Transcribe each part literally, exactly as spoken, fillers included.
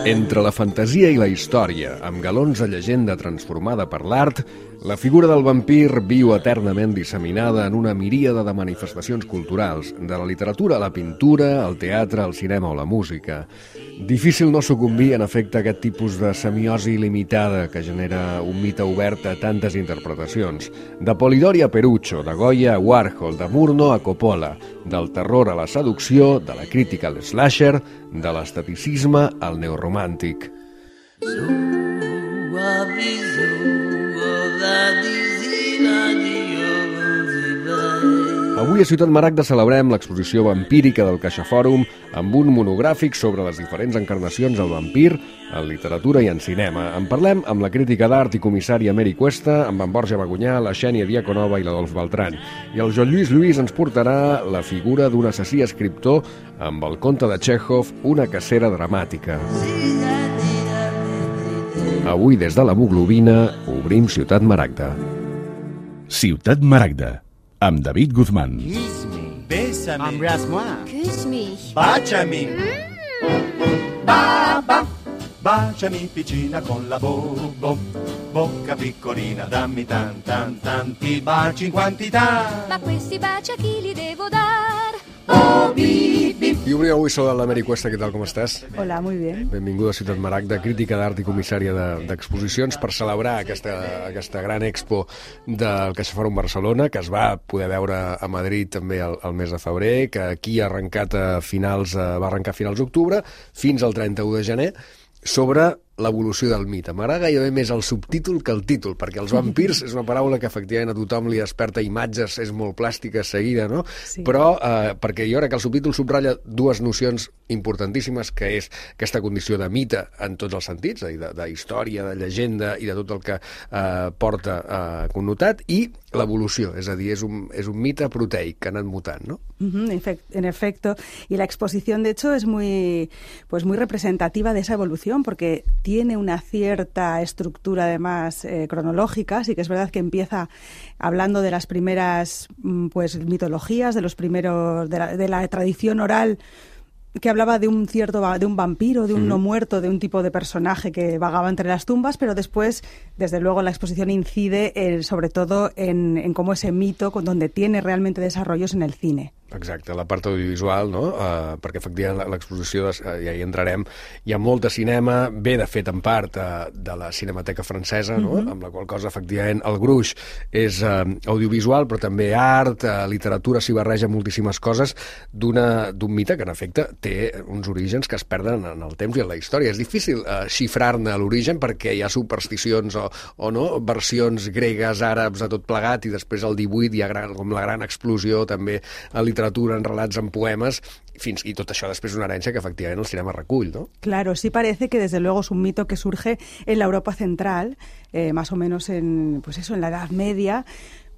Entre la fantasia i la història, amb galons de llegenda transformada per l'art, la figura del vampir viu eternament disseminada en una miríada de manifestacions culturals, de la literatura a la pintura, al teatre, al cinema o la música. Difícil no sucumbir, en efecte, a aquest tipus de semiosi il·limitada que genera un mite obert a tantes interpretacions. De Polidori a Perucho, de Goya a Warhol, de Murnau a Coppola, del terror a la seducció, de la crítica al slasher, de l'esteticisme al neoromàntic. Avui a Ciutat Maragda celebrem l'exposició vampírica del CaixaFòrum amb un monogràfic sobre les diferents encarnacions del vampir en literatura i en cinema. En parlem amb la crítica d'art i comissària Mary Cuesta, amb en Borja Bagunyà, la Xènia Diaconova i l'Adolf Beltran. I el Joan Lluís Lluís ens portarà la figura d'un assassí escriptor amb el conte de Txékhov, una cacera dramàtica. Avui, des de l'hemoglobina, obrim Ciutat Maragda. Ciutat Maragda, amb David Guzmán. Kiss me. Bésame. Embrasse-moi. Küss mich. Baciami. Ba-ba. Baciami piccina con la bo-bo. Bocca piccolina, dammi tan tan tanti baci in quantità. Ma questi baci a chi li devo dar? Oh, bi, bi. I obrim avui sobre la Mary Cuesta. Què tal, com estàs? Hola, muy bien. Benvinguda a Ciutat Maragda, crítica d'art i comissària de- d'exposicions per celebrar aquesta, aquesta gran expo del CaixaFòrum Barcelona, que es va poder veure a Madrid també el, el mes de febrer, que aquí ha arrencat a finals, eh, va arrencar a finals d'octubre, fins al trenta-u de gener, sobre l'evolució del mite. M'agrada gairebé més el subtítol que el títol, perquè els vampirs és una paraula que efectivament a tothom li desperta imatges, és molt plàstica seguida, no? Sí. Però eh, perquè jo crec que el subtítol subratlla dues nocions importantíssimes, que és aquesta condició de mite en tots els sentits, de, de història, de llegenda i de tot el que eh, porta eh, connotat, i l'evolució, és a dir, és un, és un mite proteic que ha anat mutant, no? Ujú, en efec- en efecto. Y la exposición, de hecho, es muy, pues muy representativa de esa evolución, porque tiene una cierta estructura, además, eh, cronológica. Sí que es verdad que empieza hablando de las primeras mm, pues mitologías, de los primeros, de la, de la tradición oral, que hablaba de un cierto va- de un vampiro, de un no muerto, de un tipo de personaje que vagaba entre las tumbas, pero después, desde luego, la exposición incide eh, sobre todo en, en cómo ese mito, con donde tiene realmente desarrollos en el cine. Exacte, la part audiovisual, no? Uh, perquè efectivament l'exposició, uh, ja hi entrarem, hi ha molt de cinema, ve de fet en part uh, de la Cinemateca Francesa, no? Mm-hmm. Amb la qual cosa efectivament el gruix és uh, audiovisual, però també art, uh, literatura, s'hi barreja moltíssimes coses d'una d'un mite que en efecte té uns orígens que es perden en el temps i en la història. És difícil uh, xifrar-ne l'origen perquè hi ha supersticions o, o no, versions gregues, àrabs, a tot plegat, i després al divuit hi ha gran, com la gran explosió també a literatura, en relats, en poemes, fins i tot això després una herència que efectivament el cinema recull, no? Claro, sí parece que desde luego es un mito que surge en la Europa central, eh, más o menos en, pues eso, en la Edad Media.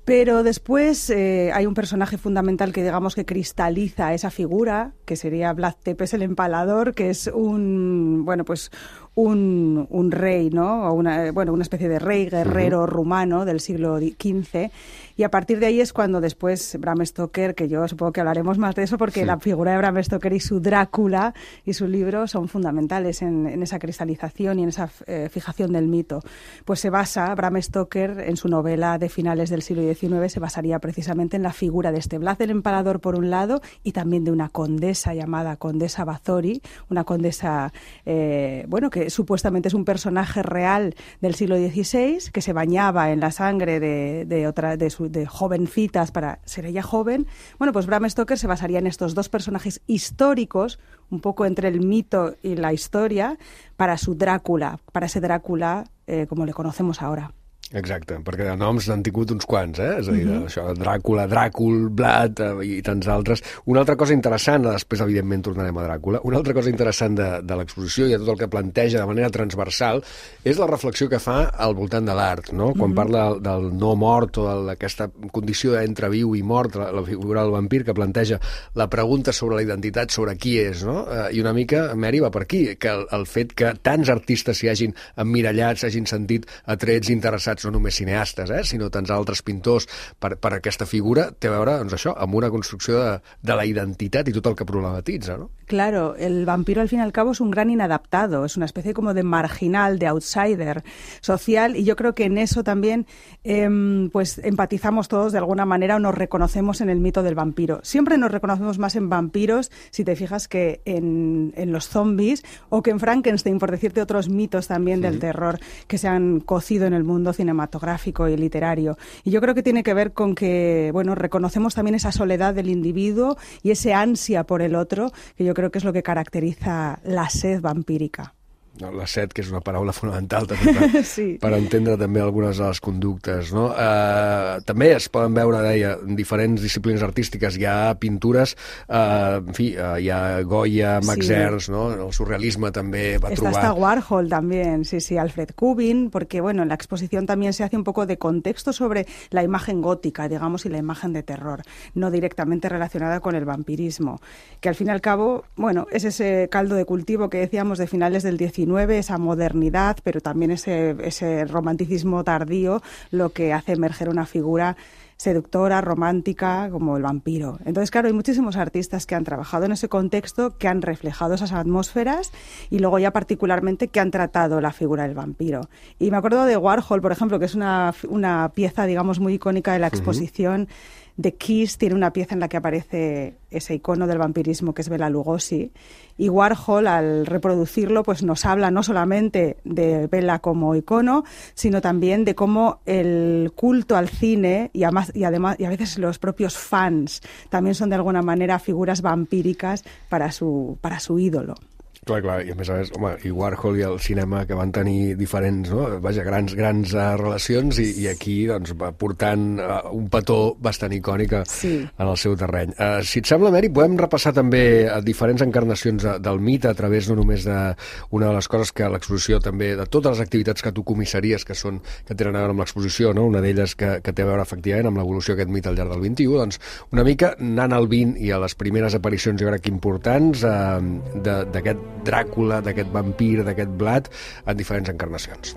Pero después eh, hay un personaje fundamental que digamos que cristaliza esa figura, que sería Vlad Tepes el Empalador, que es un, bueno, pues un, un rey, ¿no? O una, bueno, una especie de rey guerrero uh-huh. rumano del siglo quince. Y a partir de ahí es cuando después Bram Stoker, que yo supongo que hablaremos más de eso, porque sí. La figura de Bram Stoker y su Drácula y su libro son fundamentales en, en esa cristalización y en esa eh, fijación del mito. Pues se basa, Bram Stoker, en su novela de finales del siglo diecinueve, se basaría precisamente en la figura de este Vlad el Empalador por un lado y también de una condesa llamada Condesa Bathory, una condesa, eh, bueno, que supuestamente es un personaje real del siglo dieciséis, que se bañaba en la sangre de, de, otra, de, su, de jovencitas para ser ella joven. Bueno, pues Bram Stoker se basaría en estos dos personajes históricos, un poco entre el mito y la historia, para su Drácula, para ese Drácula eh, como le conocemos ahora. Exacte, perquè de noms n'han tingut uns quants, eh? És a dir, Mhm. això, Dràcula, Dràcul, Vlad eh, i tants altres. Una altra cosa interessant, després evidentment tornarem a Dràcula, una altra cosa interessant de, de l'exposició i de tot el que planteja de manera transversal és la reflexió que fa al voltant de l'art, no? Quan Mhm. parla del no mort o d'aquesta condició d'entre viu i mort, la, la figura del vampir, que planteja la pregunta sobre la identitat, sobre qui és, no? Eh, I una mica, Mary, va per aquí, que el, el fet que tants artistes s'hi hagin emmirallats, s'hagin sentit atrets, interessats utilitzats no només cineastes, eh, sinó tants altres pintors per, per aquesta figura, té a veure, doncs això, amb una construcció de, de la identitat i tot el que problematitza, ¿no? Claro, el vampiro al fin y al cabo es un gran inadaptado, es una especie como de marginal, de outsider social, y yo creo que en eso también eh, pues empatizamos todos de alguna manera o nos reconocemos en el mito del vampiro. Siempre nos reconocemos más en vampiros, si te fijas, que en, en los zombies o que en Frankenstein, por decirte otros mitos también sí. del terror que se han cocido en el mundo cinematográfico y literario. Y yo creo que tiene que ver con que, bueno, reconocemos también esa soledad del individuo y ese ansia por el otro, que yo creo que es lo que caracteriza la sed vampírica. No, la set, que és una paraula fonamental també per, sí. per entendre també algunes de les conductes, no? Uh, també es poden veure, deia, en diferents disciplines artístiques. Hi ha pintures, uh, en fi, uh, hi ha Goya, Max sí. Ernst, ¿no? El surrealisme també va Está trobar... Está Warhol también, sí, sí, Alfred Kubin, porque, bueno, en la exposición también se hace un poco de contexto sobre la imagen gótica, digamos, y la imagen de terror, no directamente relacionada con el vampirismo, que al fin y al cabo, bueno, es ese caldo de cultivo que decíamos de finales del diecinueve, esa modernidad, pero también ese, ese romanticismo tardío, lo que hace emerger una figura seductora, romántica, como el vampiro. Entonces, claro, hay muchísimos artistas que han trabajado en ese contexto, que han reflejado esas atmósferas y luego ya particularmente que han tratado la figura del vampiro. Y me acuerdo de Warhol, por ejemplo, que es una, una pieza, digamos, muy icónica de la exposición. Uh-huh. The Kiss tiene una pieza en la que aparece ese icono del vampirismo que es Bela Lugosi, y Warhol, al reproducirlo, pues nos habla no solamente de Bela como icono, sino también de cómo el culto al cine y además, y además y a veces los propios fans también son de alguna manera figuras vampíricas para su, para su ídolo. Clar, clar, i a més a més, home, i Warhol i el cinema que van tenir diferents, no? Vaja, grans, grans uh, relacions i, i aquí, doncs, va portant uh, un petó bastant icònic sí. en el seu terreny. Uh, si et sembla, Mary, podem repassar també a diferents encarnacions de, del mite a través no només d'una de les coses que l'exposició també, de totes les activitats que tu comissaries que són, que tenen a veure amb l'exposició, no? Una d'elles que, que té a veure efectivament amb l'evolució d'aquest mite al llarg del vint-i-u, doncs una mica anant al vint i a les primeres aparicions, jo crec que importants, uh, d'aquest Dràcula, d'aquest vampir, d'aquest Vlad, en diferents encarnacions.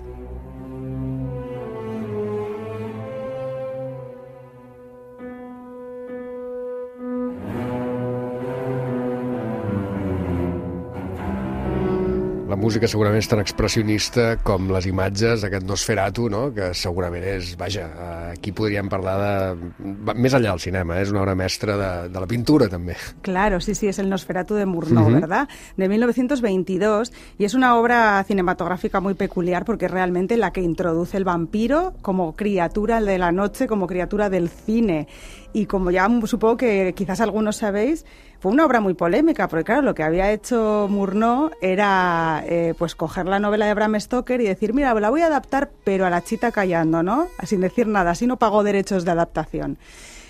La música segurament és tan expressionista com les imatges d'aquest Nosferatu, no? Que segurament és, vaja, aquí podríem parlar de... Més enllà del cinema, eh? És una obra mestra de, de la pintura, també. Claro, sí, sí, es el Nosferatu de Murnau, uh-huh. ¿verdad? De mil novecientos veintidós, y es una obra cinematográfica muy peculiar porque es realmente la que introduce el vampiro como criatura de la noche, como criatura del cine. Y como ya supongo que quizás algunos sabéis, fue una obra muy polémica, porque claro, lo que había hecho Murnau era eh, pues coger la novela de Bram Stoker y decir, mira, la voy a adaptar, pero a la chita callando, ¿no? Sin decir nada, así no pagó derechos de adaptación.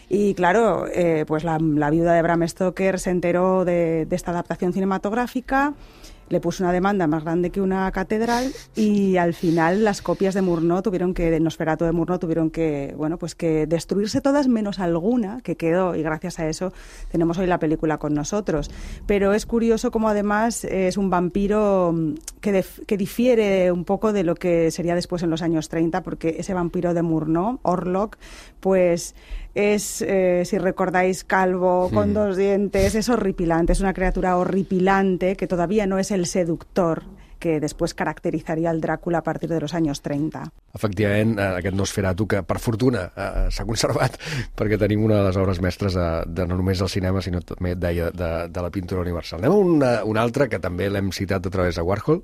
Y claro, eh, pues la, la viuda de Bram Stoker se enteró de, de esta adaptación cinematográfica, le puso una demanda más grande que una catedral y al final las copias de Murnau tuvieron que, de Nosferatu de Murnau tuvieron que, bueno, pues que destruirse todas menos alguna que quedó, y gracias a eso tenemos hoy la película con nosotros. Pero es curioso cómo además es un vampiro que, def, que difiere un poco de lo que sería después en los años treinta, porque ese vampiro de Murnau, Orlok, pues es, eh, si recordáis, calvo, con sí. dos dientes, es horripilante, es una criatura horripilante que todavía no es el seductor que després caracteritzaria el Dràcula a partir de los años treinta. Efectivament, aquest Nosferatu que, per fortuna, eh, s'ha conservat perquè tenim una de les obres mestres de, de no només del cinema, sinó també, deia, de, de la pintura universal. Anem a una, una altra que també l'hem citat a través de Warhol.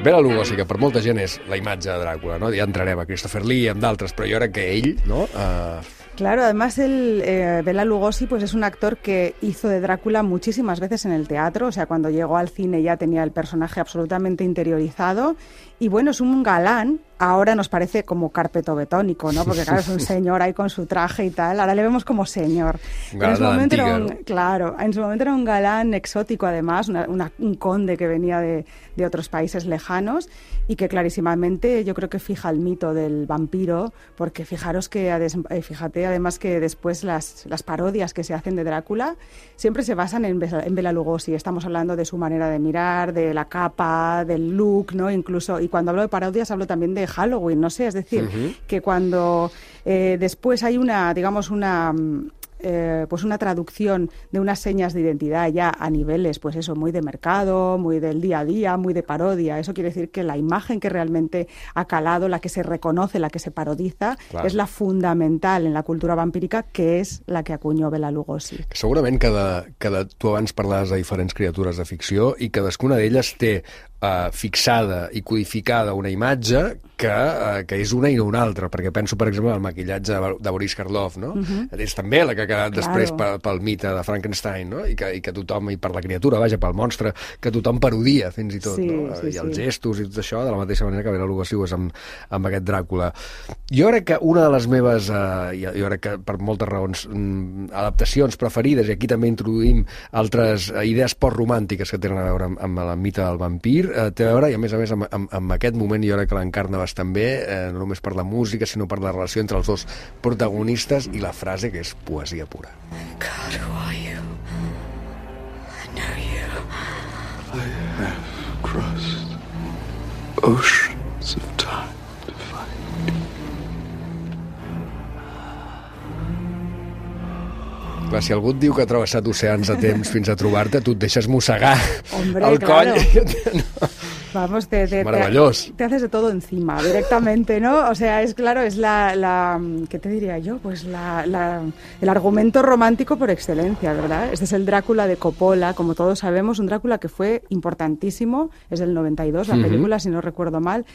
Bela Lugosi, que per molta gent és la imatge de Dràcula, ¿no? Ja entrarem a Christopher Lee i amb d'altres, però jo crec que ell, ¿no? Uh... Claro, además el eh, Bela Lugosi pues es un actor que hizo de Drácula muchísimas veces en el teatro, o sea, cuando llegó al cine ya tenía el personaje absolutamente interiorizado Y bueno, es un galán. Ahora nos parece como carpetobetónico, ¿no? Porque claro, es un señor ahí con su traje y tal. Ahora le vemos como señor. Un en su galán momento antiga, era un, ¿no? Claro, en su momento era un galán exótico además, una- una- un conde que venía de, de otros países lejanos y que clarísimamente yo creo que fija el mito del vampiro, porque fijaros que, ades- eh, fíjate además que después las, las parodias que se hacen de Drácula siempre se basan en, Bela- en Bela Lugosi. Estamos hablando de su manera de mirar, de la capa, del look, ¿no? Incluso, y cuando hablo de parodias hablo también de Halloween, no sé, es decir, Ujú. que cuando eh, después hay una, digamos, una... mm, eh, pues una traducción de unas señas de identidad ya a niveles, pues eso, muy de mercado, muy del día a día, muy de parodia. Eso quiere decir que la imagen que realmente ha calado, la que se reconoce, la que se parodiza, Clar. es la fundamental en la cultura vampírica, que és la que acunyó Bela Lugosi. Que segurament cada, cada, tu abans parlaves de diferents criatures de ficció i cadascuna d'elles té uh, fixada i codificada una imatge que, uh, que és una i no una altra, perquè penso, per exemple, en el maquillatge de, de Boris Karloff, no? Uh-huh. És també la que ha quedat Claro. després pel, pel mite de Frankenstein, no? I que, i que tothom, i per la criatura, vaja, pel monstre, que tothom parodia, fins i tot, Sí, no? sí, I els sí. gestos i tot això, de la mateixa manera que Bela Lugosi ho és amb, amb aquest Dràcula. Jo crec que una de les meves, eh, jo jo crec que per moltes raons, mm, adaptacions preferides, i aquí també introduïm altres eh, idees postromàntiques que tenen a veure amb, amb el mite del vampir, eh, té a veure, i a més a més amb, amb, amb aquest moment jo crec que l'encarna bastant bé, eh, no només per la música, sinó per la relació entre els dos protagonistes i la frase que és poesia pura. God, who are you? I know you. I have crossed oceans of time to find you. Clar, si algú et diu que ha travessat oceans de temps fins a trobar-te, tu et deixes mossegar Hombre, el claro. coll. No. Vamos, te, te, Maravillós. te, te haces de todo encima, directamente, ¿no? O sea, es claro, es la, la ¿qué te diría yo? Pues la, la, el argumento romántico por excelencia, ¿verdad? Este es el Drácula de Coppola, como todos sabemos, un Drácula que fue importantísimo, es del noventa y dos la Ujú. película, si no recuerdo mal,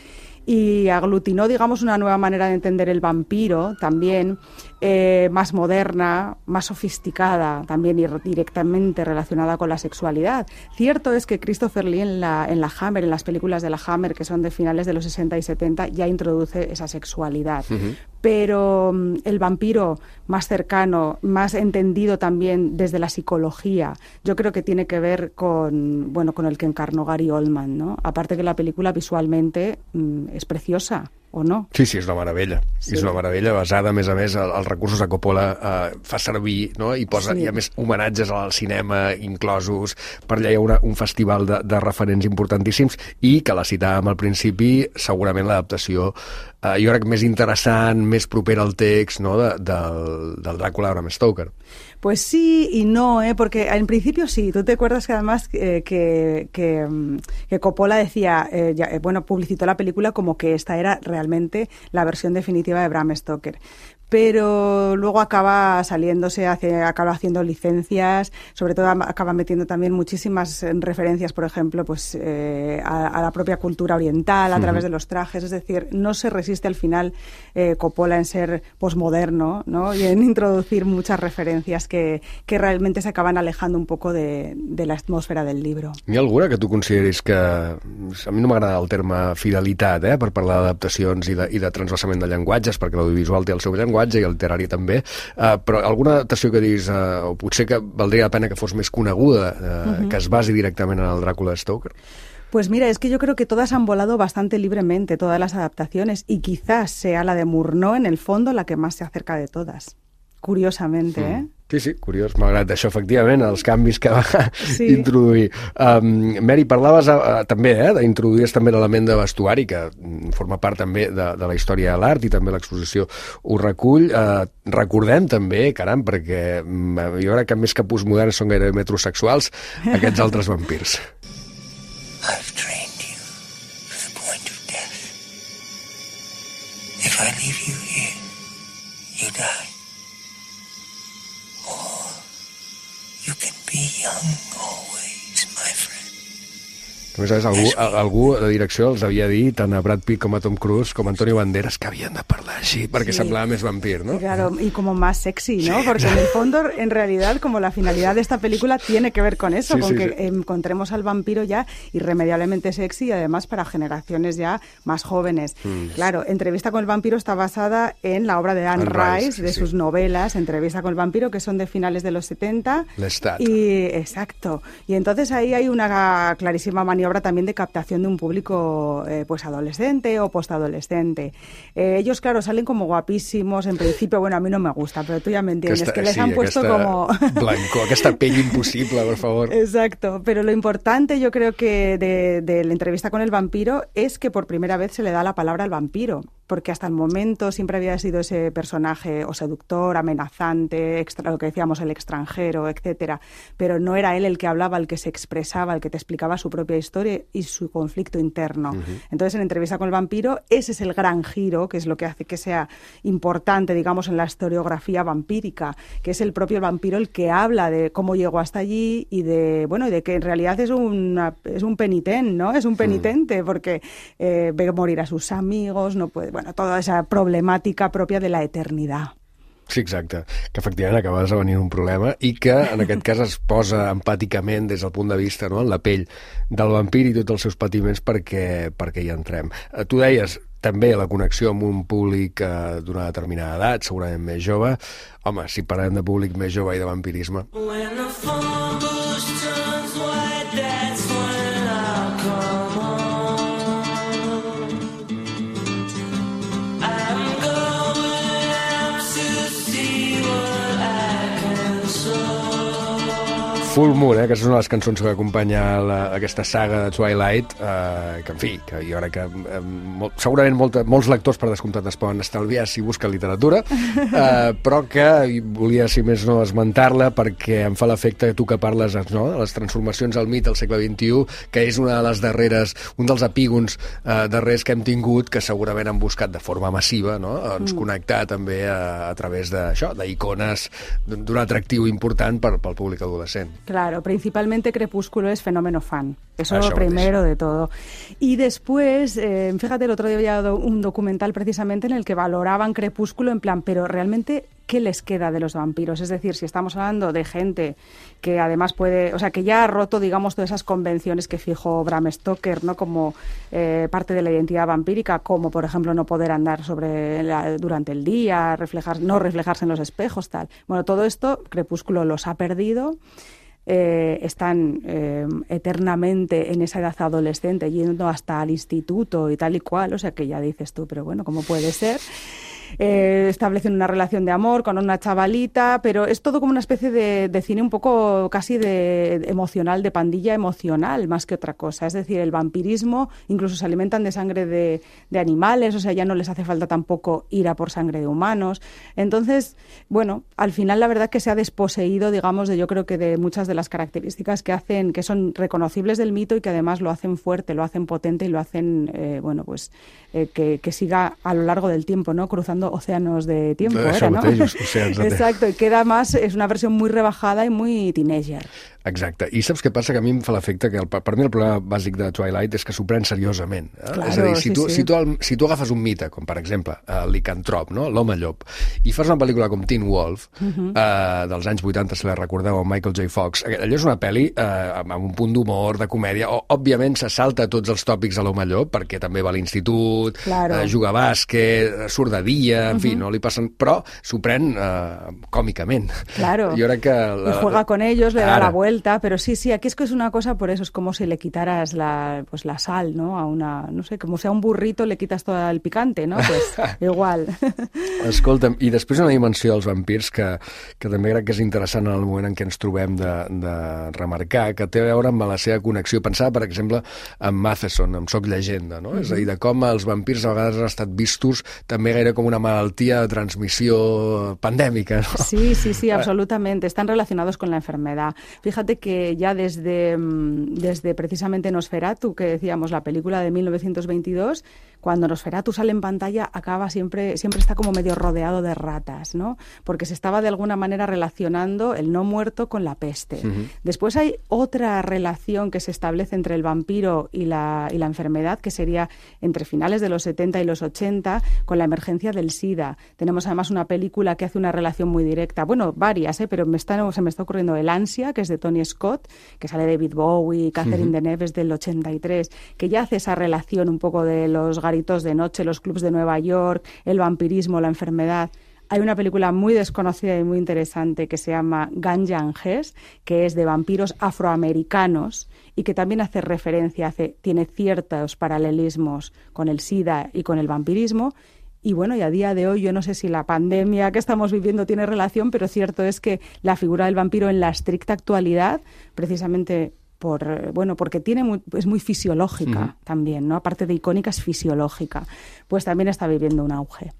y aglutinó, digamos, una nueva manera de entender el vampiro también, eh, más moderna, más sofisticada, también y directamente relacionada con la sexualidad. Cierto es que Christopher Lee en la, en la Hammer, en las películas de la Hammer, que son de finales de los sesenta y setenta, ya introduce esa sexualidad. Ujú. Pero mm, el vampiro más cercano, más entendido también desde la psicología, yo creo que tiene que ver con, bueno, con el que encarnó Gary Oldman, ¿no? Aparte que la película visualmente mm, es preciosa, ¿o no? Sí, sí, és una meravella. Sí. És una meravella basada, a més a més, el- els recursos que Coppola eh, fa servir, no? I posa, Sí. hi ha més homenatges al cinema inclosos, per allà hi ha una, un festival de, de referents importantíssims, i que la citàvem al principi, segurament l'adaptació, eh, jo crec més interessant, més propera al text, no? de, del, del Dràcula de Bram Stoker. Pues sí y no, ¿eh? Porque en principio sí. Tú te acuerdas que además eh, que, que, mm, que Coppola decía, eh, ya, eh, bueno, publicitó la película como que esta era realmente la versión definitiva de Bram Stoker. Pero luego acaba saliéndose, hace, acaba haciendo licencias, sobre todo am- acaba metiendo también muchísimas eh, referencias, por ejemplo, pues eh, a, a la propia cultura oriental, a través de los trajes. Es decir, no se resiste al final eh, Coppola en ser posmoderno, ¿no? Y en introducir muchas referencias que, que realmente se acaban alejando un poco de, de la atmósfera del libro. N'hi ha alguna que tu consideris que... A mi no m'agrada el terme fidelitat, eh, per parlar d'adaptacions i de, i de transvasament de llenguatges, perquè l'audiovisual té el seu llenguatge i el literari també, uh, però alguna adaptació que diguis, uh, o potser que valdria la pena que fos més coneguda, uh, uh-huh. que es basi directament en el Dràcula de Stoker? Pues mira, es que yo creo que todas han volado bastante libremente, todas las adaptaciones, y quizás sea la de Murnau en el fondo la que más se acerca de todas. Curiosamente, ¿eh? Sí, sí, curiós, malgrat això, efectivament, els canvis que va Sí. introduir. Um, Mary, parlaves uh, també, eh, d'introduir també l'element de vestuari, que mm, forma part també de, de la història de l'art, i també l'exposició ho recull. Uh, recordem també, caram, perquè mm, jo crec que més que postmoderns són gairebé metrosexuals, aquests altres vampirs. I've trained you to the point of death. If I leave you here, you die. Or you can be young always, my friend. A més a més, algú, algú de direcció els havia dit, tant a Brad Pitt com a Tom Cruise, com a Antonio Banderas, que havien de parlar així, perquè sí. semblava més vampir, ¿no? Claro, y como más sexy, ¿no? Sí, porque en el fondo, en realidad, como la finalidad de esta película tiene que ver con eso, sí, con sí, que sí. encontremos al vampiro ya irremediablemente sexy y además para generaciones ya más jóvenes. Mm. Claro, Entrevista con el vampiro está basada en la obra de Anne, Anne Rice, Rice, de sí. sus novelas, Entrevista con el vampiro, que son de finales de los setenta. Lestat. Y, exacto. Y entonces ahí hay una clarísima maniobra también de captación de un público eh, pues adolescente o postadolescente. Eh, ellos, claro, salen como guapísimos en principio. Bueno, a mí no me gusta, pero tú ya me entiendes, aquesta, que les sí, han puesto como... blanco, aquesta pell imposible, por favor. Exacto, pero lo importante yo creo que de, de la Entrevista con el vampiro es que por primera vez se le da la palabra al vampiro, porque hasta el momento siempre había sido ese personaje o seductor, amenazante, extra, lo que decíamos, el extranjero, etcétera, pero no era él el que hablaba, el que se expresaba, el que te explicaba su propia historia y su conflicto interno. Uh-huh. Entonces, en Entrevista con el vampiro, ese es el gran giro, que es lo que hace que sea importante, digamos, en la historiografía vampírica, que es el propio vampiro el que habla de cómo llegó hasta allí y de, bueno, de que en realidad es, una, es un penitente, ¿no? Es un penitente, uh-huh. porque eh, ve morir a sus amigos, no puede, bueno, toda esa problemàtica pròpia de la eternidad. Sí, exacte, que efectivament acaba esdevenint un problema i que en aquest cas es posa empàticament des del punt de vista, no?, en la pell del vampir i tots els seus patiments perquè, perquè hi entrem. Tu deies també la connexió amb un públic eh, d'una determinada edat, segurament més jove. Home, si parlem de públic més jove i de vampirisme... Full Moon, eh, que és una de les cançons que acompanya la, aquesta saga de Twilight, eh, que en fi, que jo crec que eh, molt, segurament molta, molts lectors per descomptat es poden estalviar si busquen literatura, eh, però que volia, si més no, esmentar-la perquè em fa l'efecte que tu que parles, no?, de les transformacions al mit al segle vint-i-u, que és una de les darreres, un dels epígons eh, darrers que hem tingut, que segurament han buscat de forma massiva, no?, ens mm. connectar també a, a través d'això, d'icones d'un atractiu important per, pel públic adolescent. Claro, principalmente Crepúsculo es fenómeno fan. Eso es lo primero de todo. Y después, eh, fíjate, el otro día había un documental precisamente en el que valoraban Crepúsculo en plan, pero realmente, ¿qué les queda de los vampiros? Es decir, si estamos hablando de gente que además puede, o sea, que ya ha roto, digamos, todas esas convenciones que fijó Bram Stoker, ¿no?, como eh, parte de la identidad vampírica, como por ejemplo no poder andar sobre la, durante el día, reflejar, no reflejarse en los espejos, tal. Bueno, todo esto Crepúsculo los ha perdido. Eh, están eh, eternamente en esa edad adolescente, yendo hasta el instituto y tal y cual, o sea que ya dices tú, pero bueno, ¿cómo puede ser? Eh, establecen una relación de amor con una chavalita, pero es todo como una especie de, de cine un poco casi de, de emocional, de pandilla emocional, más que otra cosa. Es decir, el vampirismo, incluso se alimentan de sangre de, de animales, o sea, ya no les hace falta tampoco ir a por sangre de humanos. Entonces, bueno, al final la verdad que se ha desposeído, digamos, de yo creo que de muchas de las características que hacen, que son reconocibles del mito y que además lo hacen fuerte, lo hacen potente y lo hacen, eh, bueno, pues eh, que, que siga a lo largo del tiempo, ¿no?, cruzando océanos de tiempo, era, ¿no? Exacto, y queda más, és una versió muy rebajada i muy teenager. Exacte, i saps què passa? Que a mi em fa l'efecte que el, per mi el problema bàsic de Twilight és que s'ho pren seriosament. Eh? Claro, és a dir, si, sí, tu, sí. si, tu, el, si tu agafes un mite, com per exemple el licantrop, no?, l'home llop, i fas una pel·lícula com Teen Wolf, uh-huh. eh, dels anys vuitanta, si la recordeu, amb Michael J. Fox, allò és una pel·li eh, amb un punt d'humor, de comèdia, o, òbviament se salta tots els tòpics de l'home llop, perquè també va a l'institut, claro. eh, juga a bàsquet, surt de dia, en uh-huh. fi, no li passen... Però s'ho pren eh, còmicament. Claro, jo crec que la, y juega con ellos, le ara. da la vuelta, pero sí, sí, aquí es que es una cosa, por eso es como si le quitaras la, pues la sal, ¿no? A una, no sé, como si a un burrito le quitas todo el picante, ¿no? Pues igual. Escolta'm, i després una dimensió dels vampirs que, que també crec que és interessant en el moment en què ens trobem de, de remarcar, que té a veure amb la seva connexió. Pensava, per exemple, en Matheson, amb Soc llegenda, no? Mm-hmm. És a dir, de com els vampirs a vegades han estat vistos també gaire com una malaltia de transmissió pandèmica, ¿no? Sí, sí, sí, absolutamente. Están relacionados con la enfermedad. Fíjate que ya desde, desde precisamente Nosferatu, que decíamos, la película de mil novecientos veintidós, cuando Nosferatu sale en pantalla acaba siempre, siempre está como medio rodeado de ratas, ¿no? Porque se estaba de alguna manera relacionando el no muerto con la peste. Uh-huh. Después hay otra relación que se establece entre el vampiro y la, y la enfermedad, que sería entre finales de los setenta y los ochenta, con la emergencia del SIDA. Tenemos además una película que hace una relación muy directa, bueno, varias, ¿eh? Pero me está, se me está ocurriendo El Ansia, que es de Tony Scott, que sale David Bowie, Catherine uh-huh. Deneuve del ochenta y tres, que ya hace esa relación un poco de los garitos de noche, los clubs de Nueva York, el vampirismo, la enfermedad. Hay una película muy desconocida y muy interesante que se llama Ganja and Hess, que es de vampiros afroamericanos y que también hace referencia, hace, tiene ciertos paralelismos con el SIDA y con el vampirismo. Y bueno, y a día de hoy yo no sé si la pandemia que estamos viviendo tiene relación, pero cierto es que la figura del vampiro en la estricta actualidad, precisamente por bueno porque tiene muy, es muy fisiológica uh-huh. también, ¿no? Aparte de icònica, és fisiològica, pues también está viviendo un auge.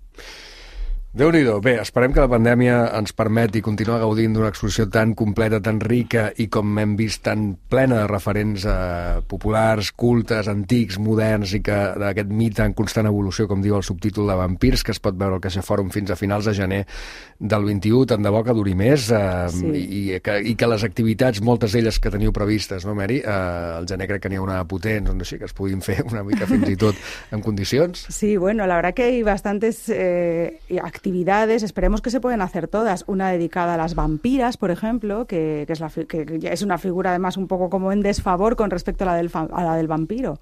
Déu-n'hi-do. Bé, esperem que la pandèmia ens permeti continuar gaudint d'una exposició tan completa, tan rica i, com hem vist, tan plena de referents eh, populars, cultes, antics, moderns, i que d'aquest mite en constant evolució, com diu el subtítol de Vampirs, que es pot veure al Caixa Fòrum fins a finals de gener del vint-i-u, tant de bo que duri més, eh, sí. i, i, que, i que les activitats, moltes d'elles que teniu previstes, no, Mary? Eh, al gener crec que n'hi ha una potent, doncs així, que es puguin fer una mica fins i tot en condicions. Sí, bueno, la verdad que hay bastantes eh, actividades actividades, esperemos que se pueden hacer todas. Una dedicada a las vampiras, por ejemplo, que, que, es, la, que es una figura además un poco como en desfavor con respecto a la del, a la del vampiro.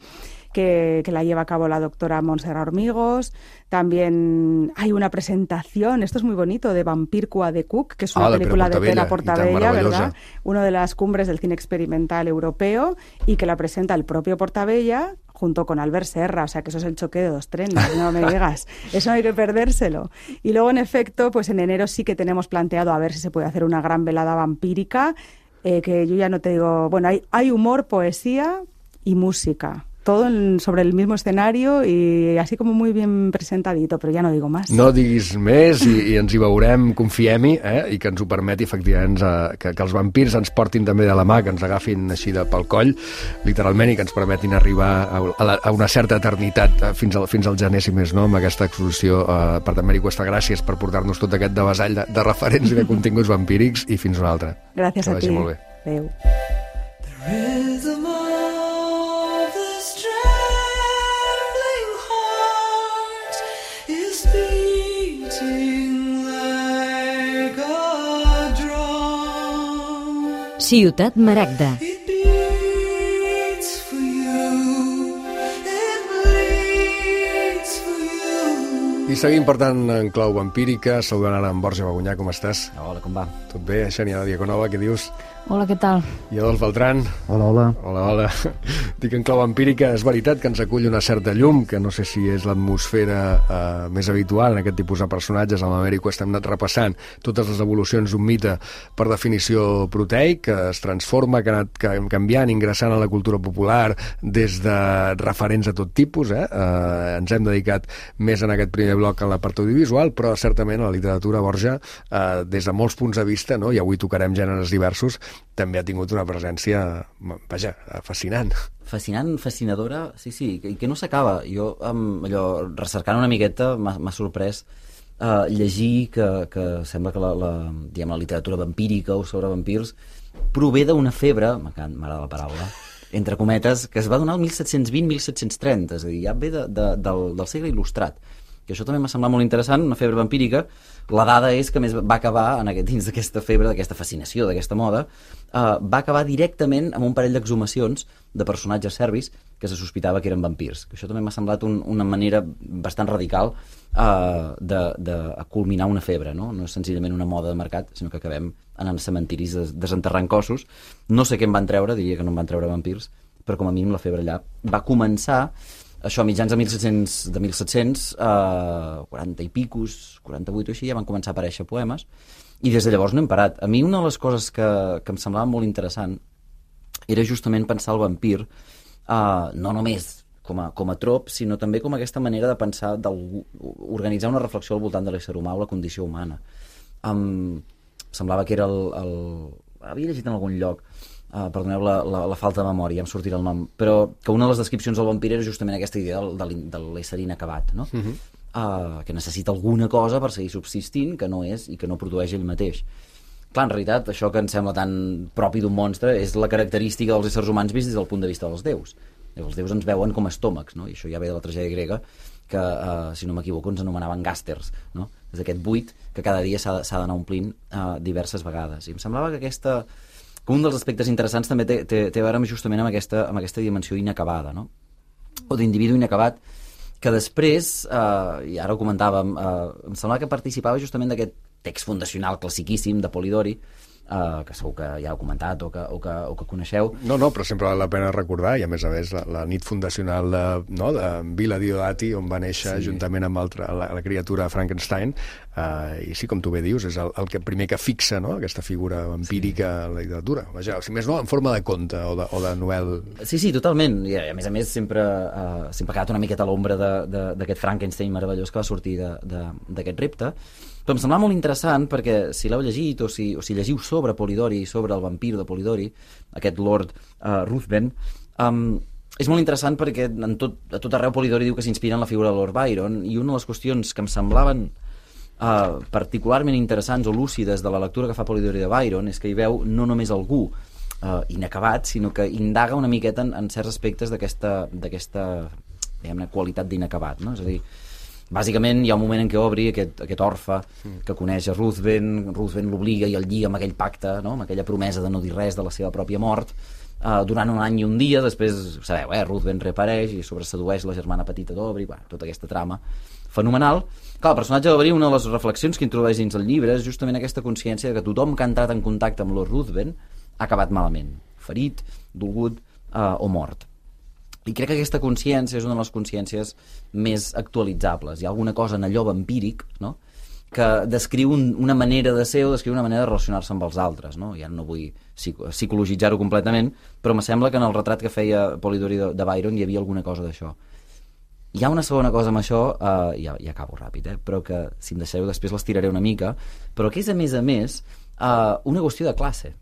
Que, que la lleva a cabo la doctora Montserrat Hormigos. También hay una presentación, esto es muy bonito, de Vampircua de Cook, que es una ah, película de Pere Portabella, ¿verdad? Una de las cumbres del cine experimental europeo, y que la presenta el propio Portabella junto con Albert Serra, o sea que eso es el choque de dos trenes, no me digas, eso no hay que perdérselo. Y luego, en efecto, pues en enero sí que tenemos planteado a ver si se puede hacer una gran velada vampírica, eh, que yo ya no te digo, bueno, hay, hay humor, poesía y música. Todo en, sobre el mismo escenario i així com muy bien presentadito, però ja no digo más. No diguis més i, i ens hi veurem, confiem-hi, eh? I que ens ho permeti, efectivament, eh, que, que els vampirs ens portin també de la mà, que ens agafin així de pel coll, literalment, i que ens permetin arribar a, a, la, a una certa eternitat eh, fins, al, fins al gener, si més no, amb aquesta exposició. Eh, per tant, Mary Cuesta, gràcies per portar-nos tot aquest devessall de, de referents i de continguts vampírics, i fins una altra. Gràcies que a ti. Molt bé. Adéu. Ciutat Maragda. I seguim, per tant, en clau vampírica. Saludant ara en Borja Bagunyà, com estàs? Hola, com va? Tot bé? Xènia Diaconova, què dius? Hola, què tal? I Adolf Beltrán. Hola, hola. Hola, hola. Dic en clau vampírica, és veritat que ens acull una certa llum, que no sé si és l'atmosfera eh, més habitual en aquest tipus de personatges. Amb la Mary Cuesta hem anat repassant totes les evolucions d'un mite per definició proteic, que es transforma, que ha anat canviant, ingressant a la cultura popular des de referents a tot tipus. Eh? Eh, ens hem dedicat més en aquest primer bloc a la part audiovisual, però certament a la literatura, Borja, eh, des de molts punts de vista, no? I avui tocarem gèneres diversos, també ha tingut una presència, vaja, fascinant. Fascinant, fascinadora, sí, sí, i que no s'acaba. Jo, um, allò, recercant una miqueta, m'ha sorprès uh, llegir que, que sembla que la, la, diguem, la literatura vampírica o sobre vampirs prové d'una febre, m'agrada la paraula, entre cometes, que es va donar el disset vint a disset trenta, és a dir, ja ve de, de, del, del segle il·lustrat. Que això també m'ha semblat molt interessant, una febre vampírica. La dada és que més va acabar en aquest, dins d'aquesta febre, d'aquesta fascinació, d'aquesta moda, uh, va acabar directament amb un parell d'exhumacions de personatges serbis que se sospitava que eren vampirs. Que això també m'ha semblat un, una manera bastant radical uh, de, de culminar una febre, no? No és senzillament una moda de mercat, sinó que acabem anant a cementiris des, desenterrant cossos. No sé què em van treure, diria que no em van treure vampirs, però com a mínim la febre allà va començar. Això, a mitjans de mil set-cents, de mil set-cents, eh, quaranta i picos, quaranta-vuit o així, ja van començar a aparèixer poemes, i des de llavors no hem parat. A mi una de les coses que, que em semblava molt interessant era justament pensar el vampir, eh, no només com a, com a trop, sinó també com aquesta manera de pensar, d'organitzar una reflexió al voltant de l'ésser humà o la condició humana. Um, semblava que era el, el... Havia llegit en algun lloc Uh, perdoneu la, la, la falta de memòria, em sortirà el nom, però que una de les descripcions del vampir era justament aquesta idea del, de, de l'ésser inacabat, no? Uh-huh. uh, que necessita alguna cosa per seguir subsistint, que no és i que no produeix ell mateix. Clar, en realitat, això que ens sembla tan propi d'un monstre és la característica dels éssers humans vist des del punt de vista dels déus. Els déus ens veuen com a estómacs, no? I això ja ve de la tragèdia grega, que, uh, si no m'equivoco, ens anomenaven gàsters, no? És aquest buit que cada dia s'ha d'anar omplint uh, diverses vegades. I em semblava que aquesta... que un dels aspectes interessants també té, té, té a veure justament amb aquesta, amb aquesta dimensió inacabada, no? O d'individu inacabat, que després, eh, i ara ho comentàvem, eh, em semblava que participava justament d'aquest text fundacional classiquíssim de Polidori, Uh, que segur que ja heu comentat o que, o, que, o que coneixeu. No, no, però sempre val la pena recordar, i a més a més la, la nit fundacional de, no, de Villa Diodati, on va néixer sí. juntament amb altra, la, la criatura Frankenstein, uh, i sí, com tu bé dius, és el, el que primer que fixa, no?, aquesta figura vampírica sí. a la literatura. Vaja, si més no, en forma de conte o de, o de novel. Sí, sí, totalment. I a més a més sempre, uh, sempre ha quedat una miqueta a l'ombra d'aquest Frankenstein meravellós que va sortir d'aquest repte. Però em semblava molt interessant perquè si l'heu llegit o si, o si llegiu sobre Polidori, sobre el vampir de Polidori, aquest Lord uh, Ruthven, um, és molt interessant perquè en tot, a tot arreu Polidori diu que s'inspira en la figura de Lord Byron, i una de les qüestions que em semblaven uh, particularment interessants o lúcides de la lectura que fa Polidori de Byron és que hi veu no només algú uh, inacabat, sinó que indaga una miqueta en, en certs aspectes d'aquesta diguem-ne qualitat d'inacabat, no? És a dir, bàsicament hi ha un moment en què obri aquest, aquest orfe que coneix a Ruthven, Ruthven l'obliga i el lliga amb aquell pacte, no?, amb aquella promesa de no dir res de la seva pròpia mort, uh, durant un any i un dia. Després, sabeu, eh, Ruthven reapareix i sobresedueix la germana petita d'Aubrey, bueno, tota aquesta trama fenomenal. Clar, el personatge d'Aubrey, una de les reflexions que introdueix dins el llibre és justament aquesta consciència de que tothom que ha entrat en contacte amb Lord Ruthven ha acabat malament, ferit, dolgut uh, o mort. I crec que aquesta consciència és una de les consciències més actualitzables. Hi ha alguna cosa en allò vampíric, no?, que descriu un, una manera de ser o descriu una manera de relacionar-se amb els altres, no? Ja no vull psicologitzar-ho completament, però me sembla que en el retrat que feia Polidori de, de Byron hi havia alguna cosa d'això. Hi ha una segona cosa amb això, eh, ja, ja acabo ràpid, eh, però que, si em deixeu, després l'estiraré una mica, però que és, a més a més, eh, una qüestió de classe.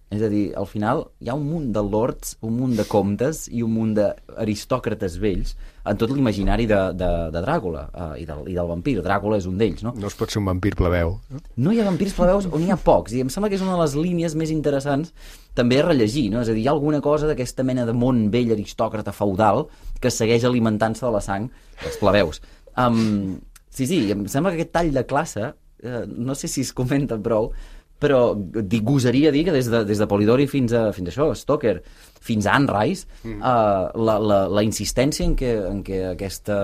És a dir, al final hi ha un munt de lords, un munt de comtes i un munt d'aristòcrates vells en tot l'imaginari de, de, de Dràcula uh, i, del, i del vampir. Dràcula és un d'ells, no? No es pot ser un vampir plebeu. No? No hi ha vampirs plebeus on hi ha pocs, i em sembla que és una de les línies més interessants també a rellegir, no? És a dir, hi ha alguna cosa d'aquesta mena de món vell aristòcrata feudal que segueix alimentant-se de la sang dels plebeus. Um, sí, sí, em sembla que aquest tall de classe, uh, no sé si es comenta prou, però gosaria dir que des de, des de Polidori fins a, fins a això, Stoker, fins a Anne Rice, mm. uh, la, la, la insistència en què, en què aquesta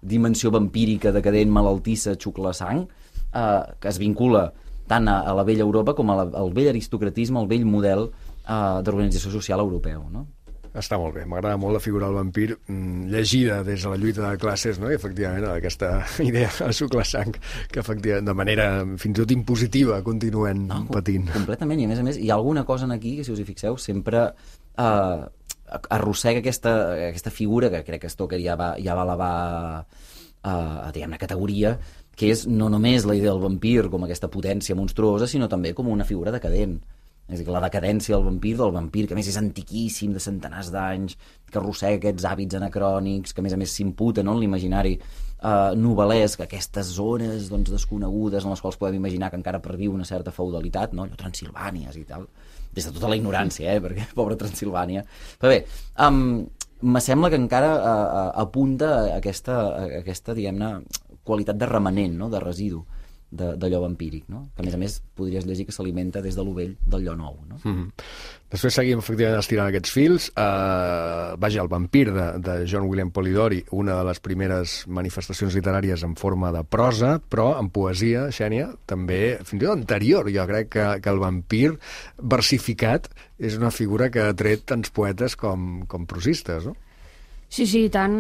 dimensió vampírica, decadent, malaltissa, xucla sang, uh, que es vincula tant a, a la vella Europa com a la, al vell aristocratisme, al vell model uh, d'organització social europeu, no? Està molt bé, m'agrada molt la figura del vampir mm, llegida des de la lluita de classes, no? I efectivament aquesta idea de suclar sang que efectivament de manera fins i tot impositiva continuen no, patint. Completament, i a més a més hi ha alguna cosa en aquí que, si us hi fixeu, sempre eh, arrossega aquesta, aquesta figura que crec que Stoker ja va, ja va elevar eh, a diguem-ne categoria, que és no només la idea del vampir com aquesta potència monstruosa, sinó també com una figura decadent. És a dir, la decadència del vampir, del vampir, que a més és antiquíssim, de centenars d'anys, que arrossega aquests hàbits anacrònics, que a més a més s'imputa, no?, en l'imaginari eh, novel·lesc, aquestes zones doncs, desconegudes en les quals podem imaginar que encara perviu una certa feudalitat, no?, allò Transilvànies i tal, des de tota la ignorància, eh, perquè pobra Transilvània. Però bé, um, me sembla que encara uh, apunta a aquesta, a aquesta diguem-ne, qualitat de remanent, no?, de residu d'allò vampíric, no? Que a més a més podries llegir que s'alimenta des de l'ovell del lloc nou, no? Mm-hmm. Després seguim efectivament estirant aquests fils. Uh, vaja, el vampir de, de John William Polidori, una de les primeres manifestacions literàries en forma de prosa, però en poesia, Xènia, també fins i tot anterior. Jo crec que, que el vampir versificat és una figura que ha tret tants poetes com, com prosistes, no? Sí, sí, i tant.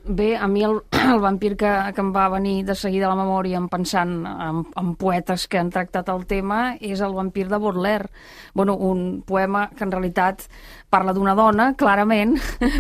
Bé, a mi el, el vampir que, que em va venir de seguida a la memòria en pensant en, en poetes que han tractat el tema és el vampir de Baudelaire. Bueno, un poema que en realitat parla d'una dona, clarament,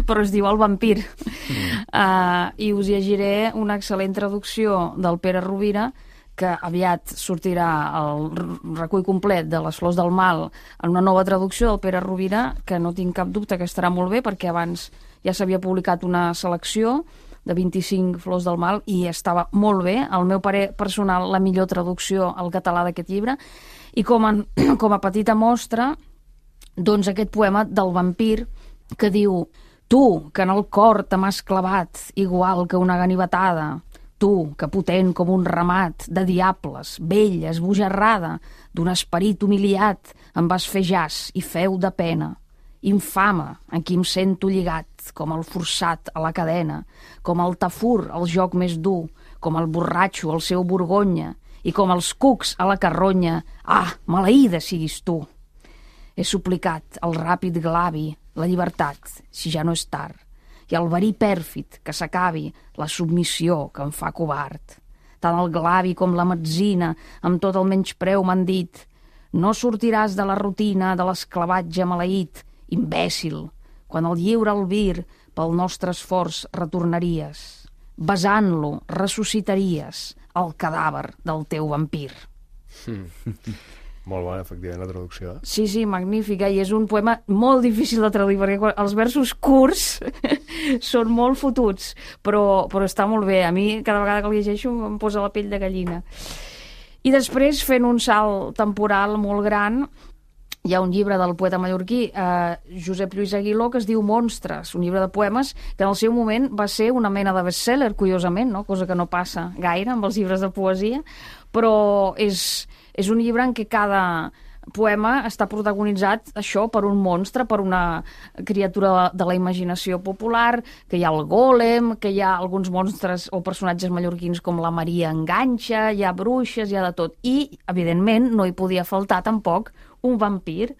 però es diu El vampir. Mm. Uh, I us llegiré una excel·lent traducció del Pere Rovira que aviat sortirà el recull complet de Les flors del mal en una nova traducció del Pere Rovira, que no tinc cap dubte que estarà molt bé, perquè abans ja s'havia publicat una selecció de vint-i-cinc flors del mal i estava molt bé, al meu parer personal, la millor traducció al català d'aquest llibre. I com a, com a petita mostra, doncs aquest poema del vampir que diu: tu, que en el cor te m'has clavat igual que una ganivetada, tu, que potent com un ramat de diables, vella, esbojarrada, d'un esperit humiliat, em vas fer jas i feu de pena. Infame, en qui em sento lligat, com el forçat a la cadena, com el tafur al joc més dur, com el borratxo al seu borgonya, i com els cucs a la carronya. Ah, maleïda siguis tu! He suplicat al ràpid glavi la llibertat, si ja no és tard, i al verí pèrfid que s'acabi la submissió que em fa covard. Tant el glavi com la metzina, amb tot el menyspreu m'han dit: no sortiràs de la rutina de l'esclavatge maleït, imbècil, quan el lliure albir pel nostre esforç retornaries. Besant-lo, ressuscitaries el cadàver del teu vampir. Mm. Molt bona, efectivament, la traducció. Sí, sí, magnífica, i és un poema molt difícil de traduir, perquè els versos curts són molt fotuts, però, però està molt bé. A mi, cada vegada que el llegeixo, em posa la pell de gallina. I després, fent un salt temporal molt gran, hi ha un llibre del poeta mallorquí eh, Josep Lluís Aguiló que es diu Monstres, un llibre de poemes que en el seu moment va ser una mena de best-seller, curiosament, no? Cosa que no passa gaire amb els llibres de poesia, però és, és un llibre en què cada poema està protagonitzat, això, per un monstre, per una criatura de la imaginació popular, que hi ha el gòlem, que hi ha alguns monstres o personatges mallorquins com la Maria Enganxa, hi ha bruixes, hi ha de tot. I, evidentment, no hi podia faltar tampoc un vampir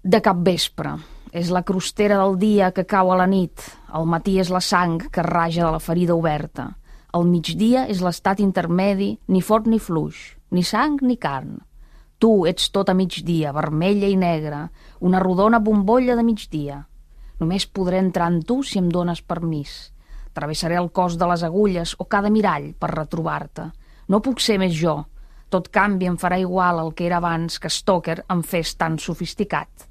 de capvespre. És la crostera del dia que cau a la nit. Al matí és la sang que raja de la ferida oberta. Al migdia és l'estat intermedi, ni fort ni fluix, ni sang ni carn. Tu ets tot a migdia, vermella i negra, una rodona bombolla de migdia. Només podré entrar en tu si em dones permís. Travessaré el cos de les agulles o cada mirall per retrobar-te. No puc ser més jo. Tot canvi em farà igual el que era abans que Stoker em fes tan sofisticat.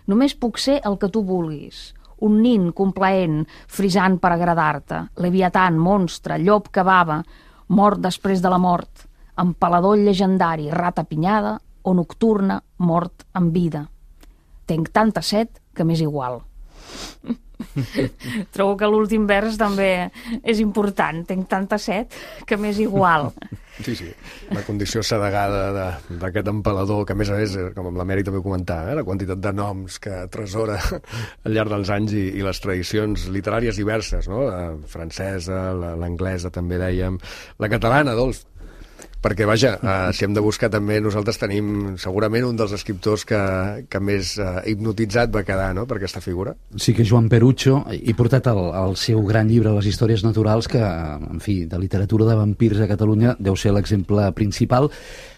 Només puc ser el que tu vulguis, un nin complaent, frisant per agradar-te, leviatan, monstre, llop que bava, mort després de la mort, empalador llegendari, rata pinyada o nocturna, mort en vida. Tenc tanta set que m'és igual. Trobo que l'últim vers també és important. Tenc tanta set que m'és igual. Sí, sí. La condició sedegada d'aquest empalador, que a més a més, com amb l'Amèric també ho comentava, eh, la quantitat de noms que atresora al llarg dels anys i, i les tradicions literàries diverses, no? La francesa, l'anglesa també dèiem, la catalana, Adolf. Perquè, vaja, uh, si hem de buscar també, nosaltres tenim segurament un dels escriptors que, que més uh, hipnotitzat va quedar, no?, per aquesta figura. Sí, que Joan Perucho, i portat el, el seu gran llibre Les històries naturals, que, en fi, de literatura de vampirs a Catalunya deu ser l'exemple principal.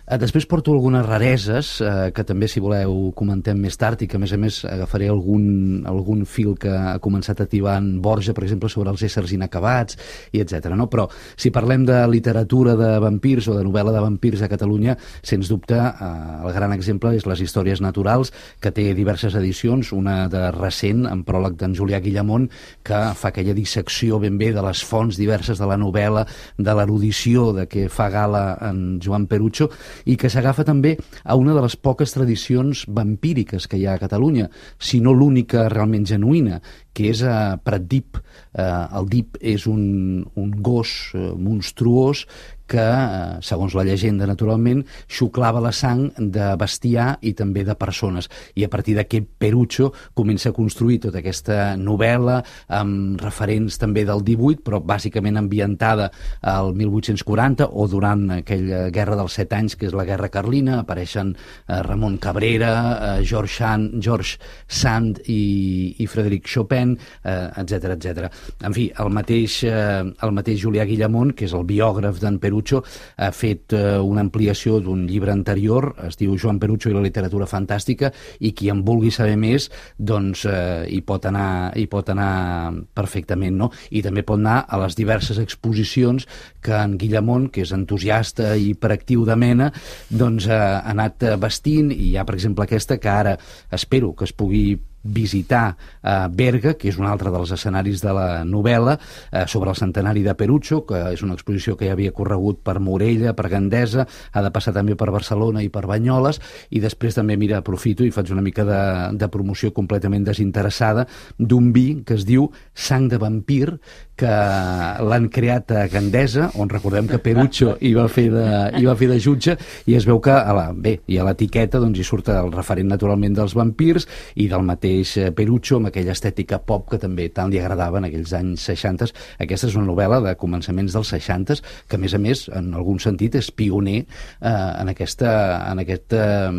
Després porto algunes rareses, eh, que també, si voleu, comentem més tard, i que, a més a més, agafaré algun, algun fil que ha començat a tibar en Borja, per exemple, sobre els éssers inacabats, i etcètera. No? Però, si parlem de literatura de vampirs o de novel·la de vampirs a Catalunya, sens dubte, eh, el gran exemple és Les històries naturals, que té diverses edicions, una de recent, en pròleg d'en Julià Guillamont, que fa aquella dissecció ben bé de les fonts diverses de la novel·la, de l'erudició de què fa gala en Joan Perucho, i que s'agafa també a una de les poques tradicions vampíriques que hi ha a Catalunya, si no l'única realment genuïna, que és a Pratdip. Eh, el dip és un, un gos eh, monstruós que, eh, segons la llegenda, naturalment, xuclava la sang de bestiar i també de persones. I a partir d'aquest Perucho comença a construir tota aquesta novel·la amb referents també del divuit, però bàsicament ambientada al mil vuit-cents quaranta o durant aquella Guerra dels Set Anys, que és la Guerra Carlina. Apareixen eh, Ramon Cabrera, eh, George Sand, George Sand i, i Frederic Chopin, Nen, eh, etcètera, etcètera. En fi, el mateix, eh, el mateix Julià Guillamont, que és el biògraf d'en Perucho, ha fet eh, una ampliació d'un llibre anterior, es diu Joan Perucho i la literatura fantàstica, i qui en vulgui saber més, doncs eh, hi pot anar, hi pot anar perfectament, no? I també pot anar a les diverses exposicions que en Guillamont, que és entusiasta i hiperactiu de mena, doncs eh, ha anat vestint, i hi ha, per exemple, aquesta que ara espero que es pugui visitar a Berga, que és un altre dels escenaris de la novel·la, eh, sobre el centenari de Perucho, que és una exposició que ja havia corregut per Morella, per Gandesa, ha de passar també per Barcelona i per Banyoles, i després també, mira, aprofito i faig una mica de, de promoció completament desinteressada d'un vi que es diu Sang de Vampir, que l'han creat a Gandesa, on recordem que Perucho hi va fer de, hi va fer de jutge, i es veu que a la, bé, i a l'etiqueta doncs, hi surt el referent naturalment dels vampirs i del mateix Perucho, amb aquella estètica pop que també tant li agradava en aquells anys seixanta. Aquesta és una novel·la de començaments dels seixanta, que a més a més, en algun sentit, és pioner eh, en aquesta, en aquesta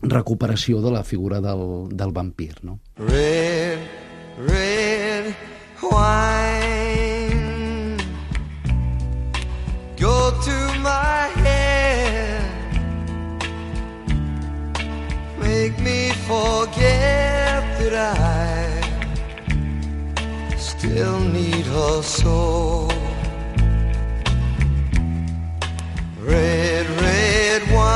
recuperació de la figura del, del vampir, no? Red, red wine, go to my head, make me forget that I still need her so. Red, red wine.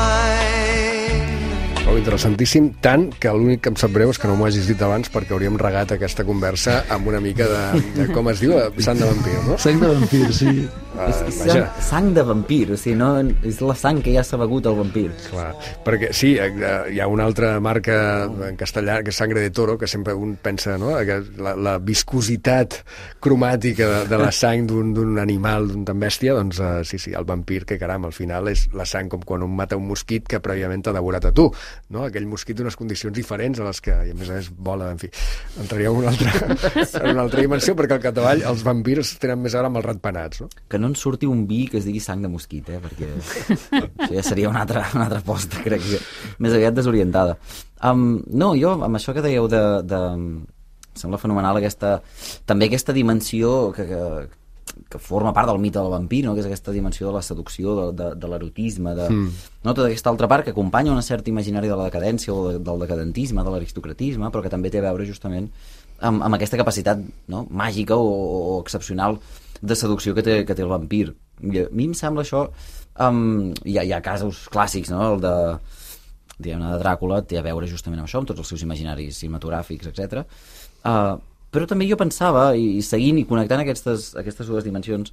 Oh, interessantíssim, tant que l'únic que em sap greu és que no m'ho hagis dit abans, perquè hauríem regat aquesta conversa amb una mica de, de com es diu, sang de vampir, no? Sang de vampir, sí. Uh, és, és sang de vampir, o sigui, no, és la sang que ja s'ha begut el vampir. Clar, perquè sí, hi ha una altra marca en castellà, que és Sangre de Toro, que sempre un pensa, no?, que la, la viscositat cromàtica de, de la sang d'un animal, d'un tan bèstia, doncs uh, sí, sí, el vampir, que caram, al final és la sang com quan un mata un mosquit que prèviament t'ha devorat a tu, no? Aquell mosquit d'unes condicions diferents a les que, i a més a més, vola, en fi, entraria en una altra, en una altra dimensió, perquè al capdavall els vampirs tenen més a veure amb els ratpenats, no? Que no en surti un vi que es digui sang de mosquit, eh? Perquè això ja seria una altra, una altra posta, crec que més aviat desorientada. Um, no, jo, amb això que dèieu de, de... Em sembla fenomenal aquesta... també aquesta dimensió que, que, que forma part del mite del vampir, no? Que és aquesta dimensió de la seducció, de, de, de l'erotisme, de... Mm. No? Tota aquesta altra part que acompanya una certa imaginari de la decadència o de, del decadentisme, de l'aristocratisme, però que també té a veure justament amb, amb aquesta capacitat, no?, màgica o, o excepcional de seducció que té, que té el vampir. I a mi em sembla això... Um, hi, ha, hi ha casos clàssics, no?, el de, diguem-ne, de Dràcula té a veure justament amb això, amb tots els seus imaginaris cinematogràfics, etcètera. Uh, però també jo pensava, i, i seguint i connectant aquestes, aquestes dues dimensions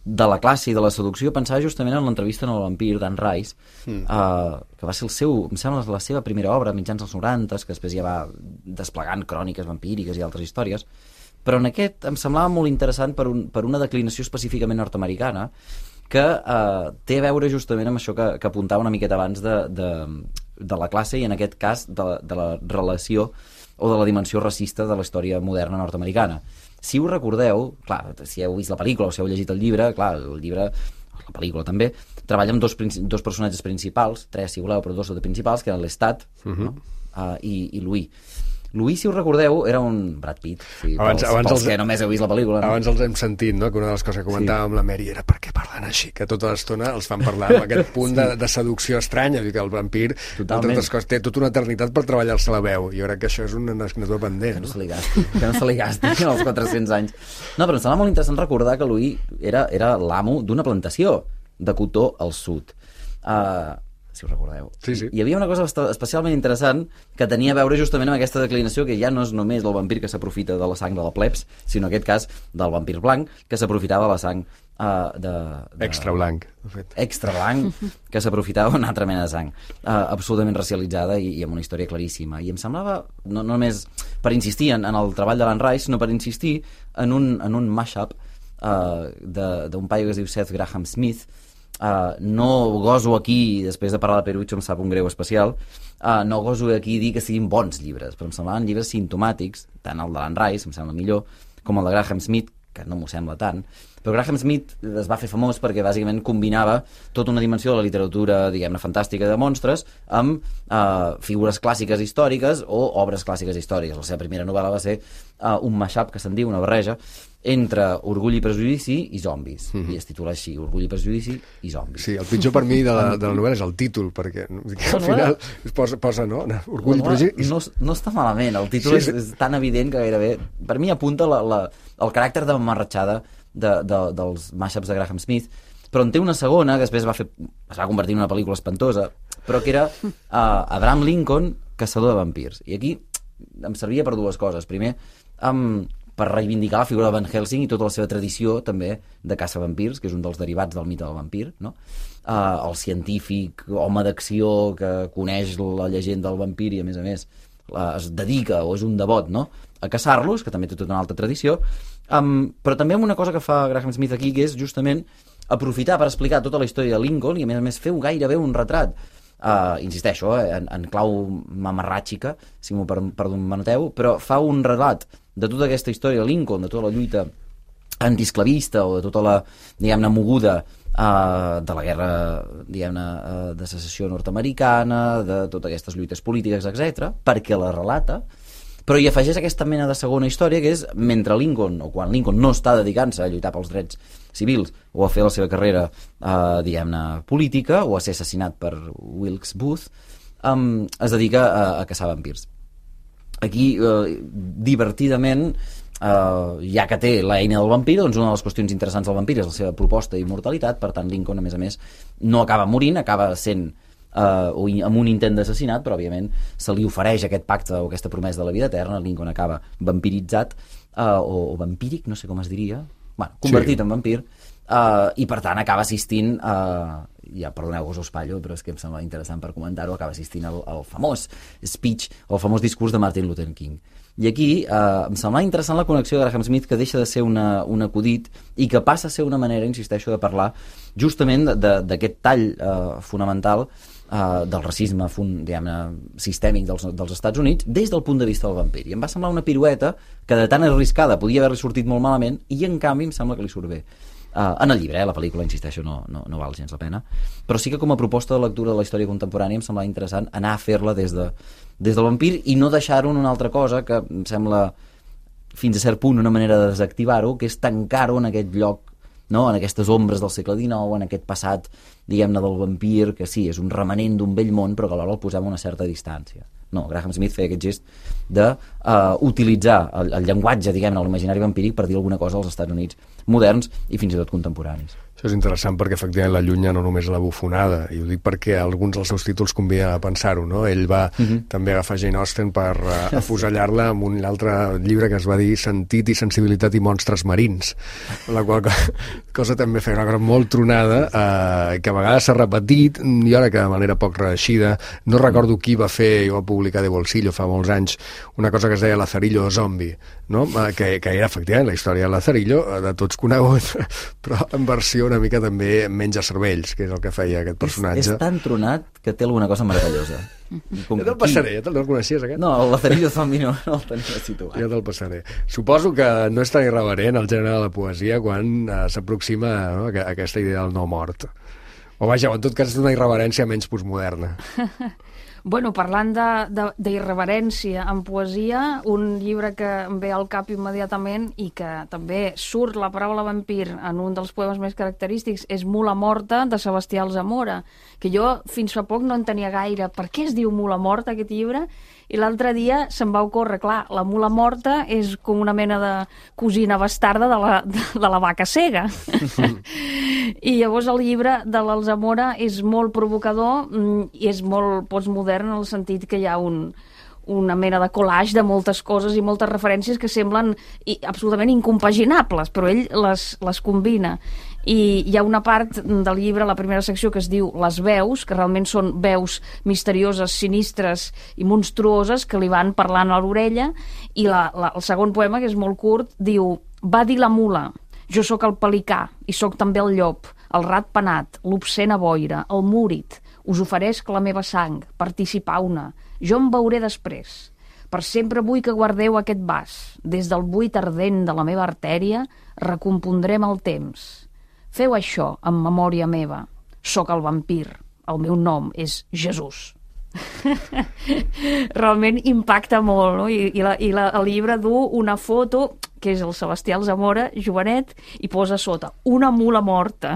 de la classe i de la seducció, pensava justament en l'entrevista en el vampir d'Anne Rice, mm. uh, que va ser el seu, em sembla, la seva primera obra, mitjans dels noranta, que després ja va desplegant cròniques vampíriques i altres històries. Però en aquest em semblava molt interessant per, un, per una declinació específicament nord-americana que eh, té a veure justament amb això que, que apuntava una miqueta abans de, de, de la classe i en aquest cas de, de la relació o de la dimensió racista de la història moderna nord-americana. Si us recordeu, clar, si heu vist la pel·lícula o si heu llegit el llibre, clar, el llibre, la pel·lícula també, treballa amb dos, dos personatges principals, tres si voleu, però dos de principals, que eren l'Estat uh -huh. no? uh, i, i Louis. Louis, si us recordeu, era un Brad Pitt, sí, abans, pels, abans pels els, que només heu vist la pel·lícula. No? Abans els hem sentit, no?, que una de les coses que comentàvem sí. amb la Mary era per què parlen així, que tota l'estona els fan parlar amb aquest punt sí. de, de seducció estranya, que el vampir, totalment, totes coses, té tota una eternitat per treballar-se la veu. Jo crec que això és una assignatura pendent. Que no, no? se li gasti, que no se li gasti els quatre-cents anys. No, però em sembla molt interessant recordar que Louis era, era l'amo d'una plantació de cotó al sud. Uh, si us recordeu. Sí, sí. Hi havia una cosa especialment interessant que tenia a veure justament amb aquesta declinació, que ja no és només el vampir que s'aprofita de la sang de la plebs, sinó en aquest cas del vampir blanc, que s'aprofitava de la sang uh, de, de... Extra blanc, de fet. Extra blanc, que s'aprofitava una altra mena de sang. Uh, absolutament racialitzada i, i amb una història claríssima. I em semblava, no, no només per insistir en, en el treball de l'Anne Rice, sinó per insistir en un, en un mashup uh, d'un paio que es diu Seth Graham Smith. Uh, no goso aquí, després de parlar de Perucho em sap un greu especial, uh, no goso aquí dir que siguin bons llibres, però em semblaven llibres simptomàtics, tant el de l'Anne Rice, em sembla millor, com el de Graham Smith, que no m'ho sembla tant, Però Graham Smith es va fer famós perquè bàsicament combinava tota una dimensió de la literatura, diguem-ne, fantàstica de monstres amb uh, figures clàssiques històriques o obres clàssiques històriques. La seva primera novel·la va ser uh, un mashup, que se'n diu, una barreja, entre Orgull i Prejudici i zombis. Mm-hmm. I es titula així, Orgull i Prejudici i zombis. Sí, el pitjor per mi de la, de la novel·la és el títol, perquè al final es posa, posa no? Orgull i Prejudici... No, no està malament, el títol sí, sí. És, és tan evident que gairebé... Per mi apunta la, la, el caràcter de mamarratxada de, de, dels mashups de Graham Smith, però en té una segona, que després va fer, es va convertir en una pel·lícula espantosa, però que era uh, Abraham Lincoln, caçador de vampirs. I aquí em servia per dues coses. Primer, um, per reivindicar la figura de Van Helsing i tota la seva tradició també de caça vampirs, que és un dels derivats del mite del vampir, no? Uh, el científic, home d'acció que coneix la llegenda del vampir i a més a més uh, es dedica o és un devot, no?, a caçar-los, que també té tota una altra tradició, um, però també amb una cosa que fa Graham Smith aquí, que és justament aprofitar per explicar tota la història de Lincoln i a més a més feu gairebé un retrat. Uh, insisteixo, eh, en, en clau mamarràtxica, si m'ho perdoneu, però fa un relat de tota aquesta història de Lincoln, de tota la lluita antiesclavista o de tota la, diguem-ne, moguda uh, de la guerra, diguem-ne, uh, de secessió nord-americana, de totes aquestes lluites polítiques, etcètera, perquè la relata, però hi afegeix aquesta mena de segona història, que és mentre Lincoln, o quan Lincoln no està dedicant-se a lluitar pels drets civils o a fer la seva carrera, eh, diguem-ne, política, o a ser assassinat per Wilkes Booth, um, es dedica a, a caçar vampirs. Aquí, eh, divertidament, eh, ja que té l'eina del vampir, doncs una de les qüestions interessants del vampir és la seva proposta d'immortalitat, per tant Lincoln, a més a més, no acaba morint, acaba sent Uh, o amb un intent d'assassinat, però òbviament se li ofereix aquest pacte o aquesta promesa de la vida eterna. Lincoln acaba vampiritzat uh, o, o vampíric, no sé com es diria, bueno, convertit sí. en vampir, uh, i per tant acaba assistint uh, ja perdoneu que us ho espatllo, però és que em sembla interessant per comentar-ho, acaba assistint al, al famós speech, al famós discurs de Martin Luther King. I aquí eh, em sembla interessant la connexió de Graham Smith, que deixa de ser una, un acudit i que passa a ser una manera, insisteixo, de parlar justament d'aquest tall eh, fonamental eh, del racisme fun, diguem-ne, sistèmic dels, dels Estats Units des del punt de vista del vampir. I em va semblar una pirueta que de tan arriscada podia haver-li sortit molt malament i en canvi em sembla que li surt bé. Uh, en el llibre, eh, la pel·lícula, insisteixo, no, no, no val gens la pena, però sí que com a proposta de lectura de la història contemporània em sembla interessant anar a fer-la des, de, des del vampir i no deixar-ho en una altra cosa que em sembla fins a cert punt una manera de desactivar-ho, que és tancar-ho en aquest lloc, no? En aquestes ombres del segle dinou, en aquest passat, diguem-ne, del vampir, que sí, és un remanent d'un vell món, però que alhora el posem a una certa distància. No, Graham Smith feia aquest gest d'utilitzar uh, el, el llenguatge, diguem-ne, l'imaginari vampíric per dir alguna cosa als Estats Units moderns i fins i tot contemporanis. Això és interessant perquè efectivament l'allunya no només la bufonada, i ho dic perquè alguns dels seus títols convida a pensar-ho, no? Ell va uh-huh. també agafar Jane Austen per uh, afusellar-la amb un altre llibre que es va dir Sentit i sensibilitat i monstres marins, la qual cosa també feia una cosa molt tronada, eh, que a vegades s'ha repetit i ara que de manera poc reeixida. No recordo qui va fer, jo va publicar de Bolsillo fa molts anys, una cosa que es deia Lazarillo Zombi, no? que, que era efectivament la història de Lazarillo, de tots conegut, però en versió una mica també menja cervells, que és el que feia aquest personatge. És, és tan tronat que té alguna cosa meravellosa. Com ja te'l passaré, ja te'l coneixies aquest? No, el Lazarillo Zombi no, no el tenia situat. Ja te'l passaré. Suposo que no és tan irreverent el gènere de la poesia quan uh, s'aproxima, no, a aquesta idea del no mort. O vaja, en tot cas és una irreverència menys postmoderna. Bueno, parlant d'irreverència en poesia, un llibre que em ve al cap immediatament i que també surt la paraula vampir en un dels poemes més característics és Mula morta, de Sebastià Alsamora, que jo fins fa poc no entenia gaire per què es diu Mula morta aquest llibre, i l'altre dia se'm va ocórrer, clar, la mula morta és com una mena de cosina bastarda de la, de, de la vaca cega. I llavors el llibre de l'Alsamora és molt provocador i és molt postmodern en el sentit que hi ha un, una mena de collage de moltes coses i moltes referències que semblen i, absolutament incompaginables, però ell les, les combina. I hi ha una part del llibre, la primera secció, que es diu Les veus, que realment són veus misterioses, sinistres i monstruoses que li van parlant a l'orella, i la, la, el segon poema, que és molt curt, diu: va dir la mula, jo sóc el pelicà i sóc també el llop, el rat penat, l'obscena boira, el múrid, us oferesc la meva sang, participau-ne, jo em veuré després. Per sempre vull que guardeu aquest vas. Des del buit ardent de la meva artèria recompondrem el temps. Feu això en memòria meva. Soc el vampir. El meu nom és Jesús. Realment impacta molt, no? I, i, la, i la, el llibre du una foto que és el Sebastià Alsamora, jovenet, i posa sota una mula morta.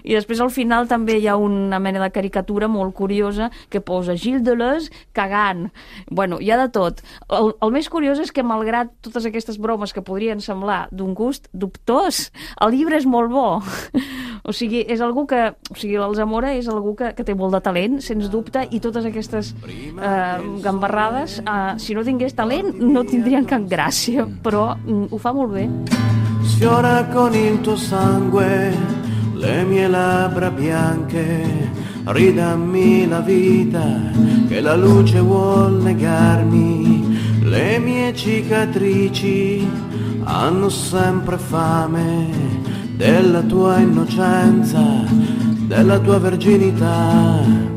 I després al final també hi ha una mena de caricatura molt curiosa que posa Gilles Deleuze cagant. Bueno, hi ha de tot. El, el més curiós és que, malgrat totes aquestes bromes que podrien semblar d'un gust dubtós, el llibre és molt bo. O sigui, és algú que... O sigui, l'Alsamora és algú que, que té molt de talent, sens dubte, i totes aquestes eh, gambarrades, eh, si no tingués talent, no tindrien cap gràcia, però ho fa molt bé. Sfiora con il tuo sangue le mie labbra bianche, ridammi la vita che la luce vuol negarmi, le mie cicatrici hanno sempre fame della tua innocenza, della tua verginità.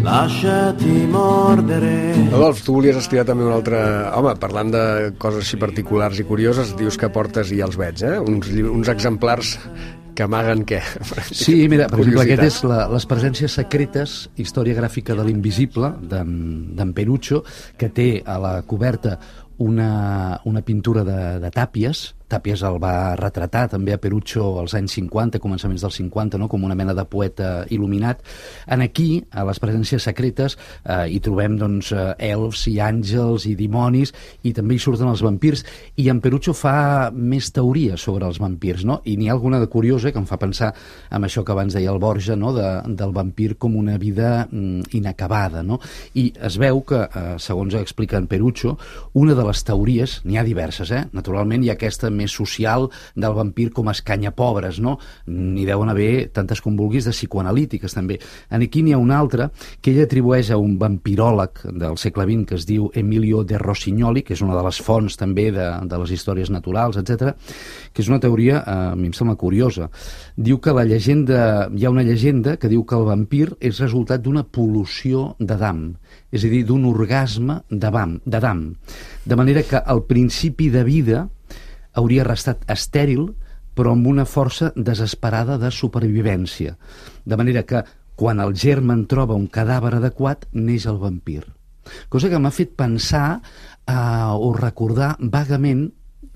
Lasciati mordere. Adolf, tu volies estirar també un altre... Home, parlant de coses així particulars i curioses, dius que portes, i ja els veig, eh? Uns, uns exemplars que amaguen què? Sí, mira, per exemple, aquest és la, les presències secretes, història gràfica de l'invisible, d'en Perucho, que té a la coberta una, una pintura de, de Tàpies. Tàpies el va retratar també a Perucho als anys cinquanta, començaments dels cinquanta, no? Com una mena de poeta il·luminat. En aquí, a les presències secretes, eh, hi trobem doncs, elfs i àngels i dimonis, i també hi surten els vampirs, i en Perucho fa més teories sobre els vampirs, no? I n'hi ha alguna de curiosa que em fa pensar en això que abans deia el Borja, no? de, del vampir com una vida mm, inacabada, no? I es veu que, eh, segons explica en Perucho, una de les teories, n'hi ha diverses, eh? Naturalment hi ha aquesta més social del vampir com a escanyapobres, no? N'hi deuen haver tantes com vulguis de psicoanalítiques, també. En aquí n'hi ha una altra que ell atribueix a un vampiròleg del segle vint que es diu Emilio de Rossignoli, que és una de les fonts també de, de les històries naturals, etcètera, que és una teoria, eh, a mi em sembla curiosa. Diu que la llegenda, hi ha una llegenda que diu que el vampir és resultat d'una pol·lució d'Adam, és a dir, d'un orgasme d'Adam, de manera que al principi de vida hauria restat estèril, però amb una força desesperada de supervivència. De manera que, quan el germen troba un cadàver adequat, neix el vampir. Cosa que m'ha fet pensar eh, o recordar vagament,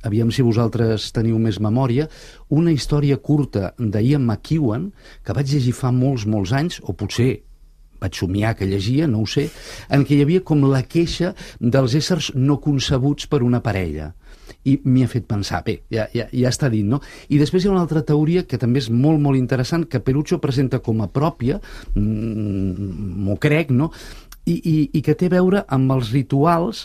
aviam si vosaltres teniu més memòria, una història curta d'Ian McEwan, que vaig llegir fa molts, molts anys, o potser vaig somiar que llegia, no ho sé, en què hi havia com la queixa dels éssers no concebuts per una parella. I m'hi ha fet pensar, bé, ja, ja, ja està dit, no? I després hi ha una altra teoria que també és molt, molt interessant, que Perucho presenta com a pròpia, m'ho crec, no? I, i, i que té a veure amb els rituals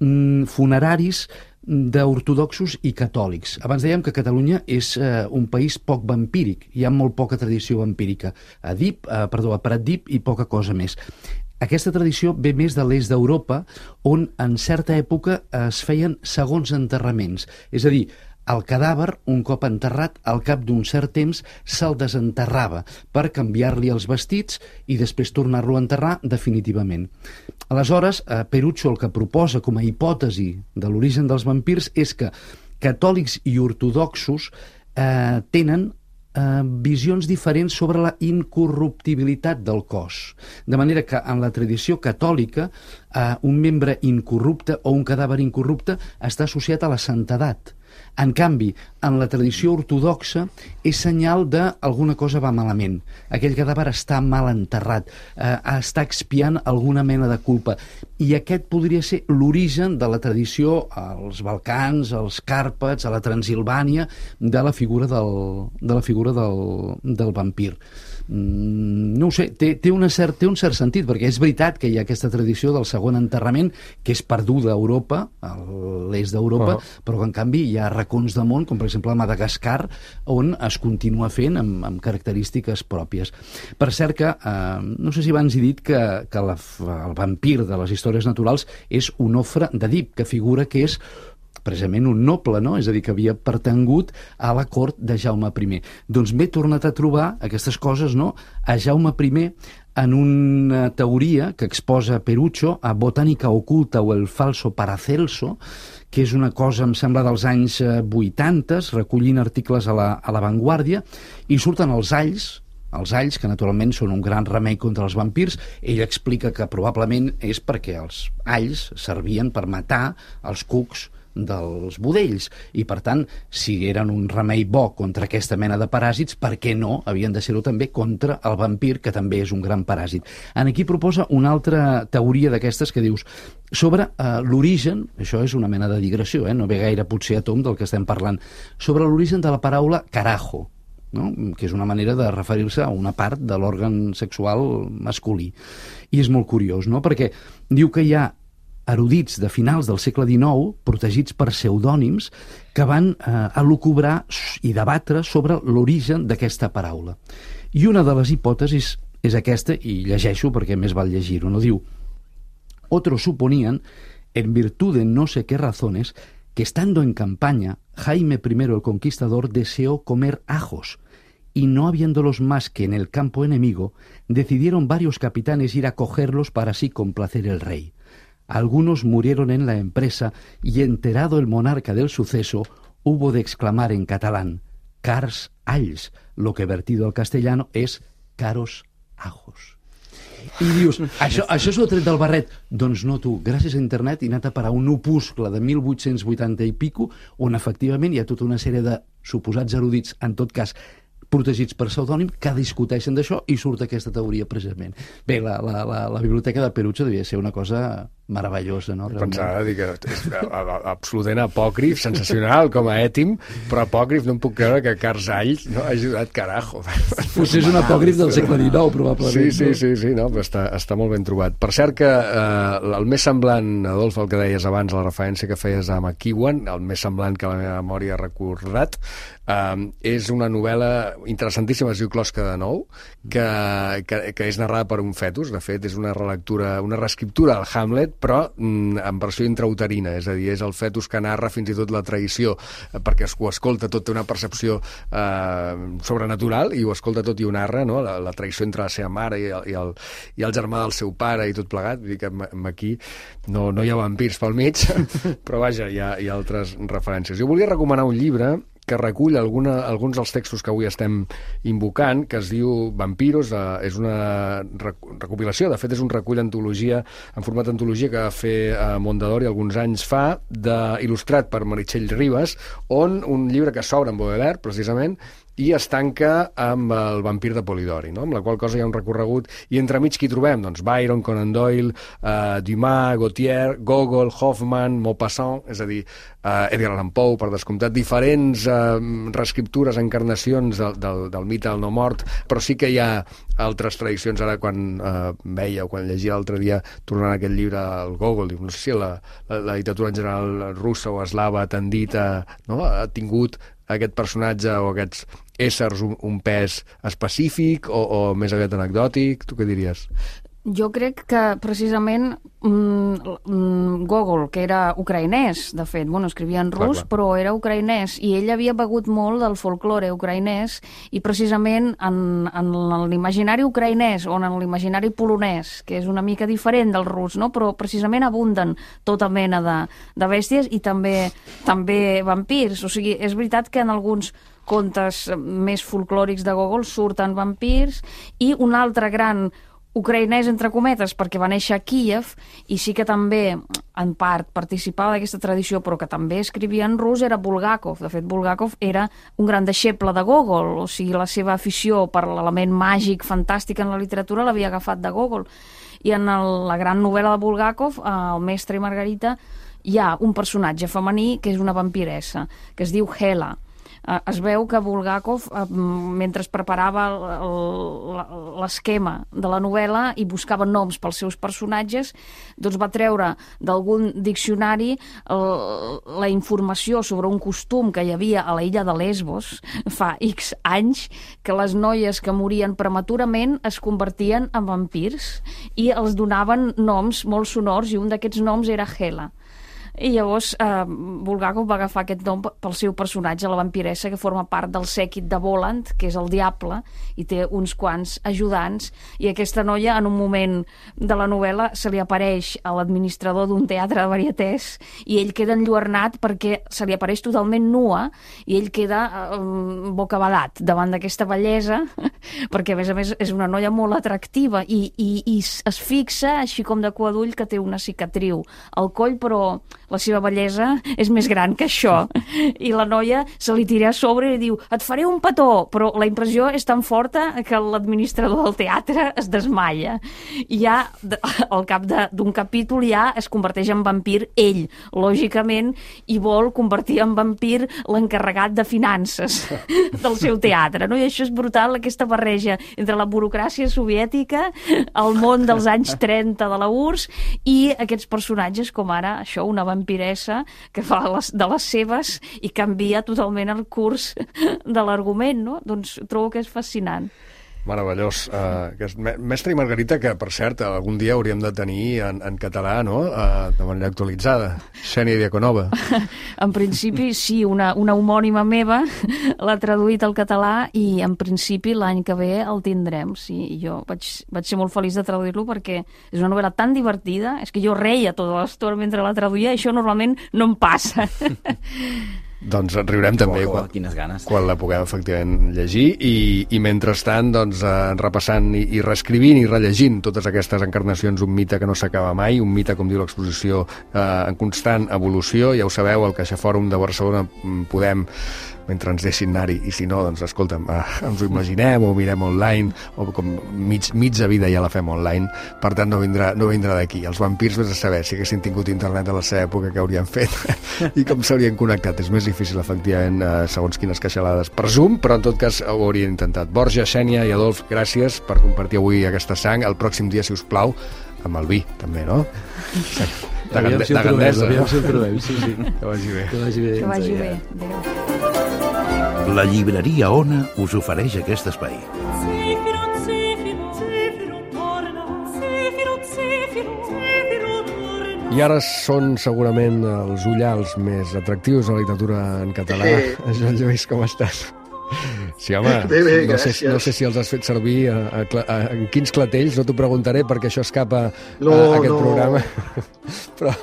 mm, funeraris d'ortodoxos i catòlics. Abans dèiem que Catalunya és eh, un país poc vampíric, hi ha molt poca tradició vampírica. A Dip, eh, perdó, a Pratdip i poca cosa més. Aquesta tradició ve més de l'est d'Europa, on en certa època es feien segons enterraments. És a dir, el cadàver, un cop enterrat, al cap d'un cert temps se'l desenterrava per canviar-li els vestits i després tornar-lo a enterrar definitivament. Aleshores, Perucho el que proposa com a hipòtesi de l'origen dels vampirs és que catòlics i ortodoxos eh, tenen Eh, visions diferents sobre la incorruptibilitat del cos. De manera que en la tradició catòlica eh, un membre incorrupte o un cadàver incorrupte està associat a la santedat. En canvi, en la tradició ortodoxa és senyal d'alguna cosa va malament. Aquell cadàver està mal enterrat, eh, està expiant alguna mena de culpa. I aquest podria ser l'origen de la tradició als Balcans, als Càrpats, a la Transilvània, de la figura del, de la figura del, del vampir. Mm, no ho sé, té, té, una cert, té un cert sentit, perquè és veritat que hi ha aquesta tradició del segon enterrament, que és perduda a Europa, a l'est d'Europa, uh-huh. però que en canvi hi ha racons de món, com per exemple a Madagascar, on es continua fent amb, amb característiques pròpies. Per cert que, eh, no sé si abans he dit que, que la, el vampir de les històries naturals és Onofre d'Èdip, que figura que és precisament un noble, no? És a dir, que havia pertangut a la cort de Jaume I. Doncs m'he tornat a trobar aquestes coses, no?, a Jaume I en una teoria que exposa Perucho a Botànica oculta o el falso Paracelso, que és una cosa, em sembla, dels anys vuitanta, recollint articles a la, a la Vanguardia, i surten els alls, els alls, que naturalment són un gran remei contra els vampirs. Ell explica que probablement és perquè els alls servien per matar els cucs dels budells, i per tant, si eren un remei bo contra aquesta mena de paràsits, per què no havien de ser-ho també contra el vampir, que també és un gran paràsit. En aquí proposa una altra teoria d'aquestes que dius sobre eh, l'origen, això és una mena de digressió, eh? No ve gaire potser a tom del que estem parlant, sobre l'origen de la paraula carajo, no? Que és una manera de referir-se a una part de l'òrgan sexual masculí. I és molt curiós, no? Perquè diu que hi ha erudits de finals del segle dinou, protegits per pseudònims, que van eh, elucubrar i debatre sobre l'origen d'aquesta paraula. I una de les hipòtesis és aquesta, i llegeixo perquè més val llegir-ho, no? Diu: otros suponían, en virtud de no sé qué razones, que estando en campaña, Jaime I el Conquistador deseó comer ajos, y no habiéndolos más que en el campo enemigo, decidieron varios capitanes ir a cogerlos para así complacer el rey. Algunos murieron en la empresa y, enterado el monarca del suceso, hubo de exclamar en catalán: cars alls, lo que vertido al castellano és caros ajos. I dius, això, això s'ho ha tret del barret? Doncs no, tu, gràcies a internet he anat a parar un opuscle de mil vuit-cents vuitanta i pico, on efectivament hi ha tota una sèrie de suposats erudits, en tot cas protegits per pseudònim, que discuteixen d'això, i surt aquesta teoria precisament. Bé, la, la, la, la biblioteca de Perucho devia ser una cosa meravellosa, no? Pensava dir que és absolutament apòcrif, sensacional com a ètim, però apòcrif no em puc creure que Carzall no ha ajudat carajo. Potser és un apòcrif del segle dinou, probablement. Sí, sí, sí, sí, no, però està, està molt ben trobat. Per cert que eh, el més semblant, Adolf, el que deies abans, la referència que feies a McEwan, el més semblant que la meva memòria ha recordat, eh, és una novel·la interessantíssima, es diu Closca de Nou, que, que, que és narrada per un fetus. De fet, és una relectura, una reescriptura del Hamlet, però mm, en versió intrauterina, és a dir, és el fetus que narra fins i tot la traïció, eh, perquè ho escolta tot, té una percepció eh, sobrenatural, i ho escolta tot i ho narra, no? la, la traïció entre la seva mare i el, i, el, i el germà del seu pare i tot plegat. Vull dir que aquí no, no hi ha vampirs pel mig, però vaja, hi ha, hi ha altres referències. Jo volia recomanar un llibre que recull alguna, alguns dels textos que avui estem invocant, que es diu Vampiros, eh, és una recopilació, de fet és un recull antologia, en format antologia, que va fer eh, Mondadori alguns anys fa, de, il·lustrat per Meritxell Ribas, on un llibre que s'obre amb Baudelaire, precisament, i es tanca amb el vampir de Polidori, no? Amb la qual cosa hi ha un recorregut, i entremig qui trobem? Doncs Byron, Conan Doyle, eh, Dumas, Gautier, Gogol, Hoffman, Maupassant, és a dir, eh, Edgar Allan Poe, per descomptat, diferents eh, reescriptures, encarnacions del, del, del mite del no mort, però sí que hi ha altres tradicions. Ara, quan eh, veia o quan llegia l'altre dia, tornant a aquest llibre, el Gogol, diu, no sé si la, la, la literatura en general russa o eslava ha tendit a, no? ha tingut aquest personatge o aquests éssers un, un pes específic o, o més aviat anecdòtic? Tu què diries? Jo crec que precisament mm, Gogol, que era ucraïnès, de fet, bueno, escrivia en rus, clar, clar. Però era ucraïnès, i ell havia begut molt del folklore ucraïnès, i precisament en, en l'imaginari ucraïnès o en l'imaginari polonès, que és una mica diferent del rus, no? Però precisament abunden tota mena de, de bèsties i també, també vampirs. O sigui, és veritat que en alguns contes més folclòrics de Gogol surten vampirs, i un altre gran ucraïnès, entre cometes, perquè va néixer a Kíev, i sí que també, en part, participava d'aquesta tradició, però que també escrivia en rus, era Bulgakov. De fet, Bulgakov era un gran deixeble de Gogol, o sigui, la seva afició per l'element màgic, fantàstic en la literatura, l'havia agafat de Gogol. I en el, la gran novel·la de Bulgakov, El mestre i Margarita, hi ha un personatge femení que és una vampiressa, que es diu Hela. Es veu que Bulgakov, mentre preparava l'esquema de la novel·la i buscava noms pels seus personatges, doncs va treure d'algun diccionari la informació sobre un costum que hi havia a la illa de Lesbos fa X anys, que les noies que morien prematurament es convertien en vampirs i els donaven noms molt sonors, i un d'aquests noms era Hela. I llavors eh, Bulgakov va agafar aquest nom pel seu personatge, la vampiressa, que forma part del sèquit de Voland, que és el diable, i té uns quants ajudants, i aquesta noia, en un moment de la novel·la, se li apareix a l'administrador d'un teatre de varietés, i ell queda enlluernat perquè se li apareix totalment nua, i ell queda eh, bocabadat davant d'aquesta bellesa, perquè a més a més és una noia molt atractiva, i, i, i es fixa, així com de cua d'ull, que té una cicatriu al coll, però la seva bellesa és més gran que això. I la noia se li tira a sobre i diu, et faré un petó, però la impressió és tan forta que l'administrador del teatre es desmaia. I ja, al cap d'un capítol, ja es converteix en vampir ell, lògicament, i vol convertir en vampir l'encarregat de finances del seu teatre. No? I això és brutal, aquesta barreja entre la burocràcia soviètica, el món dels anys trenta de la U R S i aquests personatges com ara, això, una vampiressa que fa les, de les seves i canvia totalment el curs de l'argument, no? Doncs trobo que és fascinant. Meravellós. Uh, que és Mestre i Margarita, que, per cert, algun dia hauríem de tenir en, en català, no?, uh, de manera actualitzada. Xènia Diaconova. En principi, sí, una, una homònima meva l'ha traduït al català i, en principi, l'any que ve el tindrem. Sí, jo vaig, vaig ser molt feliç de traduir-lo perquè és una novel·la tan divertida, és que jo reia tota l'estona mentre la traduïa, i això normalment no em passa. Doncs riurem també oh, oh, quan, quines ganes. quan la puguem efectivament llegir i, i mentrestant doncs, eh, repassant i, i reescrivint i rellegint totes aquestes encarnacions, un mite que no s'acaba mai, un mite, com diu l'exposició, eh, en constant evolució. Ja ho sabeu, al CaixaFòrum de Barcelona podem, mentre ens deixin anar-hi, i si no, doncs escolta'm, eh, ens ho imaginem o ho mirem online, o com mig, mitja vida ja la fem online, per tant no vindrà, no vindrà d'aquí. Els vampirs, vés a saber, si haguessin tingut internet a la seva època, què haurien fet i com s'haurien connectat. És més difícil, efectivament, eh, segons quines queixalades per Zoom, però en tot cas ho haurien intentat. Borja, Xènia i Adolf, gràcies per compartir avui aquesta sang. El pròxim dia, si us plau, amb el vi, també, no? Sí. De, aviam gande, si de Gandesa. Aviam si el trobem, sí, sí. Que vagi bé. Que vagi bé. Que vagi bé. Adéu. La llibreria Ona us ofereix aquest espai. I ara són segurament els ullals més atractius de la literatura en català. Sí. Joan Lluís, com estàs? Sí, home, bé, bé, no, sé, no sé si els has fet servir a, a, a, en quins clatells, no t'ho preguntaré perquè això escapa no, a, a aquest no. programa, però,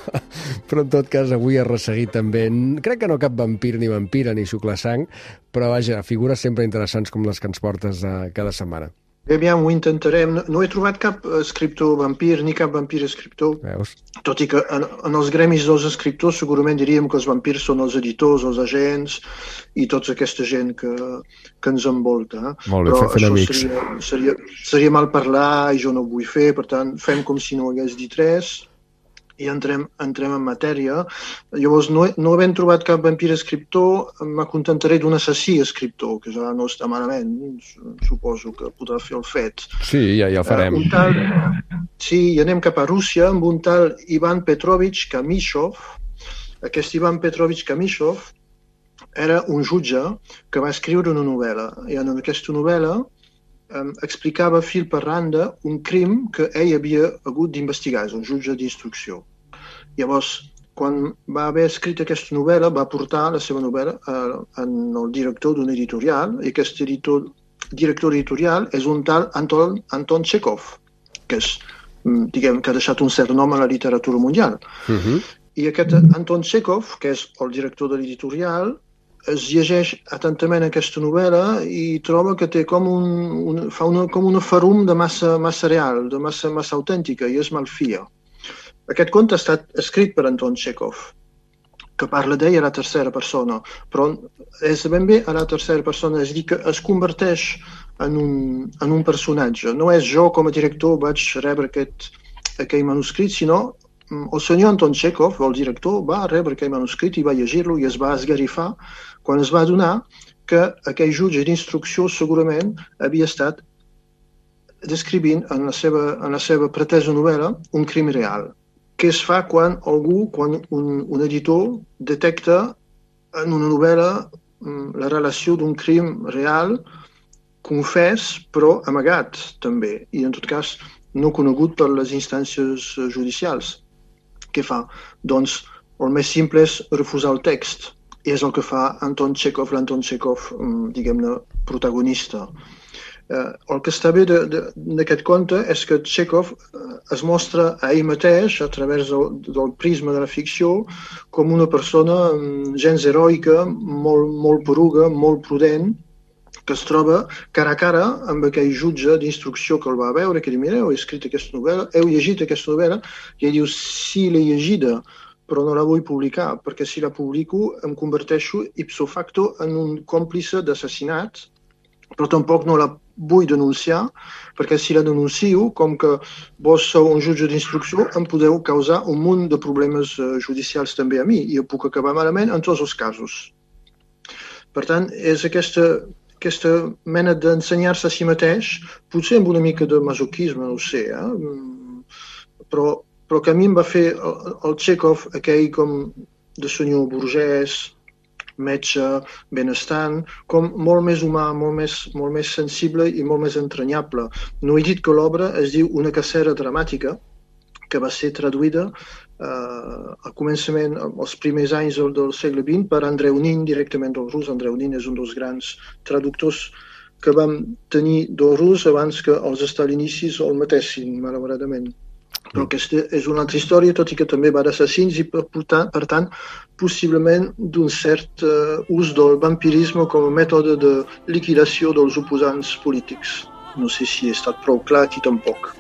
però en tot cas avui has resseguit també, crec que no cap vampir ni vampira ni xuclar sang, però vaja, figures sempre interessants com les que ens portes uh, cada setmana. Bé, aviam, ho intentarem. No, no he trobat cap escriptor vampir ni cap vampir escriptor. Veus? Tot i que en, en els gremis dels escriptors segurament diríem que els vampirs són els editors, els agents i tota aquesta gent que, que ens envolta. Molt bé, però fent això amics. seria, seria, seria mal parlar i jo no ho vull fer, per tant fem com si no hagués dit res i entrem, entrem en matèria. Llavors, no, no havent trobat cap vampir escriptor, m'acontentaré d'un assassí escriptor, que ja no està malament, suposo que podrà fer el fet. Sí, ja, ja el farem. Uh, un tal, sí, i anem cap a Rússia amb un tal Ivan Petrovich Kamishov. Aquest Ivan Petrovich Kamishov era un jutge que va escriure una novel·la, i en aquesta novel·la Um, explicava fil per randa un crim que ell havia hagut d'investigar, és un jutge d'instrucció. Llavors, quan va haver escrit aquesta novel·la, va portar la seva novel·la uh, en el director d'un editorial, i aquest editor, director editorial és un tal Anton, Anton Chekhov, que és, diguem, que ha deixat un cert nom a la literatura mundial. Uh-huh. I aquest Anton Chekhov, que és el director de l'editorial, es llegeix atentament aquesta novel·la i troba que té com un, un, fa una, com una farum de massa, massa real, de massa, massa autèntica, i es malfia. Aquest conte ha estat escrit per Anton Chekhov, que parla d'ell a la tercera persona, però és ben bé a la tercera persona, és a dir, que es converteix en un, en un personatge. No és jo, com a director, vaig rebre aquest, aquell manuscrit, sinó el senyor Anton Chekhov, el director, va rebre aquell manuscrit i va llegir-lo i es va esgarrifar quan es va adonar que aquell jutge d'instrucció segurament havia estat descrivint en la seva, en la seva pretesa novel·la un crim real. Què es fa quan algú, quan un, un editor detecta en una novel·la la relació d'un crim real confés, però amagat també, i en tot cas no conegut per les instàncies judicials. Què fa? Doncs el més simple és refusar el text. I és el que fa Anton Txékhov, l'Anton Txékhov, diguem-ne, protagonista. Eh, el que està bé d'aquest conte és que Txékhov es mostra a ell mateix, a través del, del prisma de la ficció, com una persona gens heroica, molt, molt poruga, molt prudent, que es troba cara a cara amb aquell jutge d'instrucció que el va veure, que diu, mira, heu escrit aquesta novel·la, heu llegit aquesta novel·la, i ell diu, sí, l'he llegida, però no la vull publicar, perquè si la publico em converteixo ipso facto en un còmplice d'assassinat, però tampoc no la vull denunciar, perquè si la denuncio, com que vos sou un jutge d'instrucció, em podeu causar un munt de problemes judicials també a mi, i jo puc acabar malament en tots els casos. Per tant, és aquesta, aquesta mena d'ensenyar-se a si mateix, potser amb una mica de masoquisme, no ho sé, eh? però, però que a mi em va fer el, el Txékhov, aquell com de senyor burgès, metge, benestant, com molt més humà, molt més, molt més sensible i molt més entranyable. No he dit que l'obra es diu Una cacera dramàtica, que va ser traduïda eh, al començament, als primers anys del, del segle vint, per Andreu Nin, directament del rus. Andreu Nin és un dels grans traductors que vam tenir del rus abans que els stalinicis el matessin, malauradament. Però aquesta és una altra història, tot i que també va d'assassins i, per, per tant, possiblement d'un cert uh, ús del vampirisme com a mètode de liquidació dels oposants polítics. No sé si he estat prou clar aquí tampoc.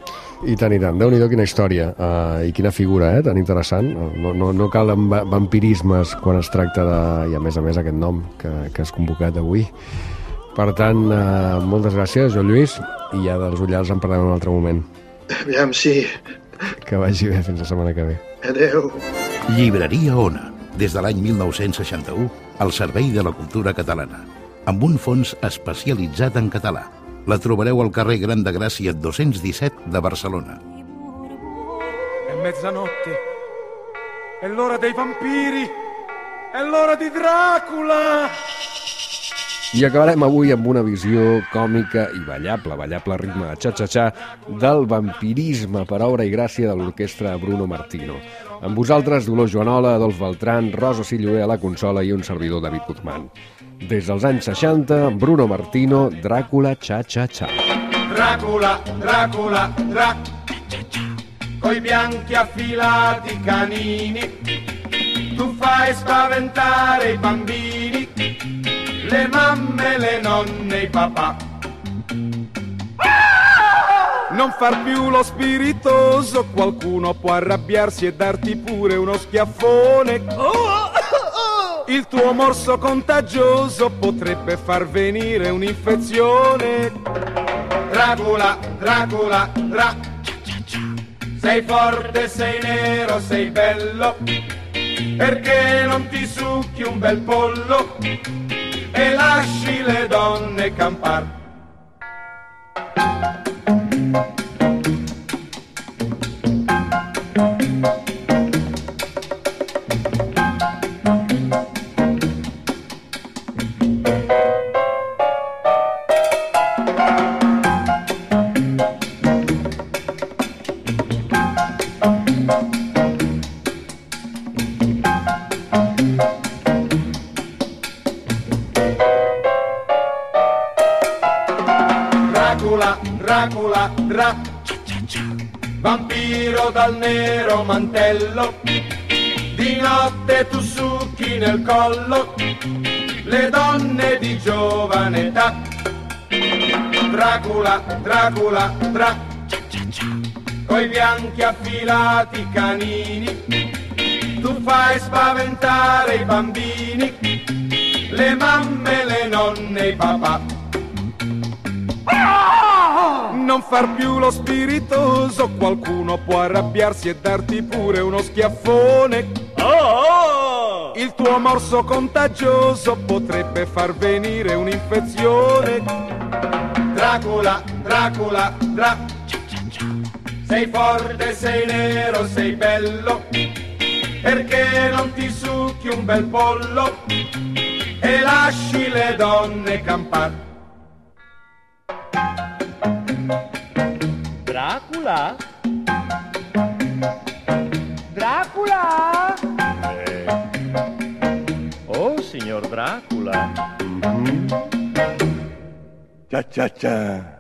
I tant, i tant. Déu-n'hi-do quina història uh, i quina figura, eh? Tan interessant. No, no, no calen vampirismes quan es tracta de... i a més a més aquest nom que, que has convocat avui. Per tant, uh, moltes gràcies, Joan Lluís, i ja dels Ullals en parlem en un altre moment. Aviam, sí. Que vagi bé, fins la setmana que ve. Adéu. Llibreria Ona, des de l'any mil nou-cents seixanta-u, al servei de la cultura catalana, amb un fons especialitzat en català. La trobareu al carrer Gran de Gràcia dos-cents disset de Barcelona. È mezzanotte, è l'ora dei vampiri, è l'ora di Dràcula! I acabarem avui amb una visió còmica i ballable, ballable ritme de xa-xa-xa, del vampirisme per obra i gràcia de l'orquestra Bruno Martino. Amb vosaltres, Dolors Joanola, Adolf Beltrán, Rosa Silloé a la consola i un servidor, David Guzmán. Des dels anys seixanta, Bruno Martino, Dràcula, xa-xa-xa. Dràcula, Dràcula, Dràcula, coi bianchi affilati canini, tu fai spaventare i bambini, le mamme, le nonne, i papà. Non far più lo spiritoso, qualcuno può arrabbiarsi e darti pure uno schiaffone. Il tuo morso contagioso potrebbe far venire un'infezione. Dràcula, Dràcula, Drà. Sei forte, sei nero, sei bello, perché non ti succhi un bel pollo e lasci le donne campar. Dràcula, Drà, vampiro dal nero mantello, di notte tu succhi nel collo le donne di giovane età. Dràcula, Dràcula, Drà, coi bianchi affilati canini, tu fai spaventare i bambini, le mamme, le nonne, i papà. Non far più lo spiritoso, qualcuno può arrabbiarsi e darti pure uno schiaffone. Il tuo morso contagioso potrebbe far venire un'infezione. Dràcula, Dràcula, Drà. Sei forte, sei nero, sei bello, perché non ti succhi un bel pollo e lasci le donne campar. Dràcula? Dràcula? Cha cha cha.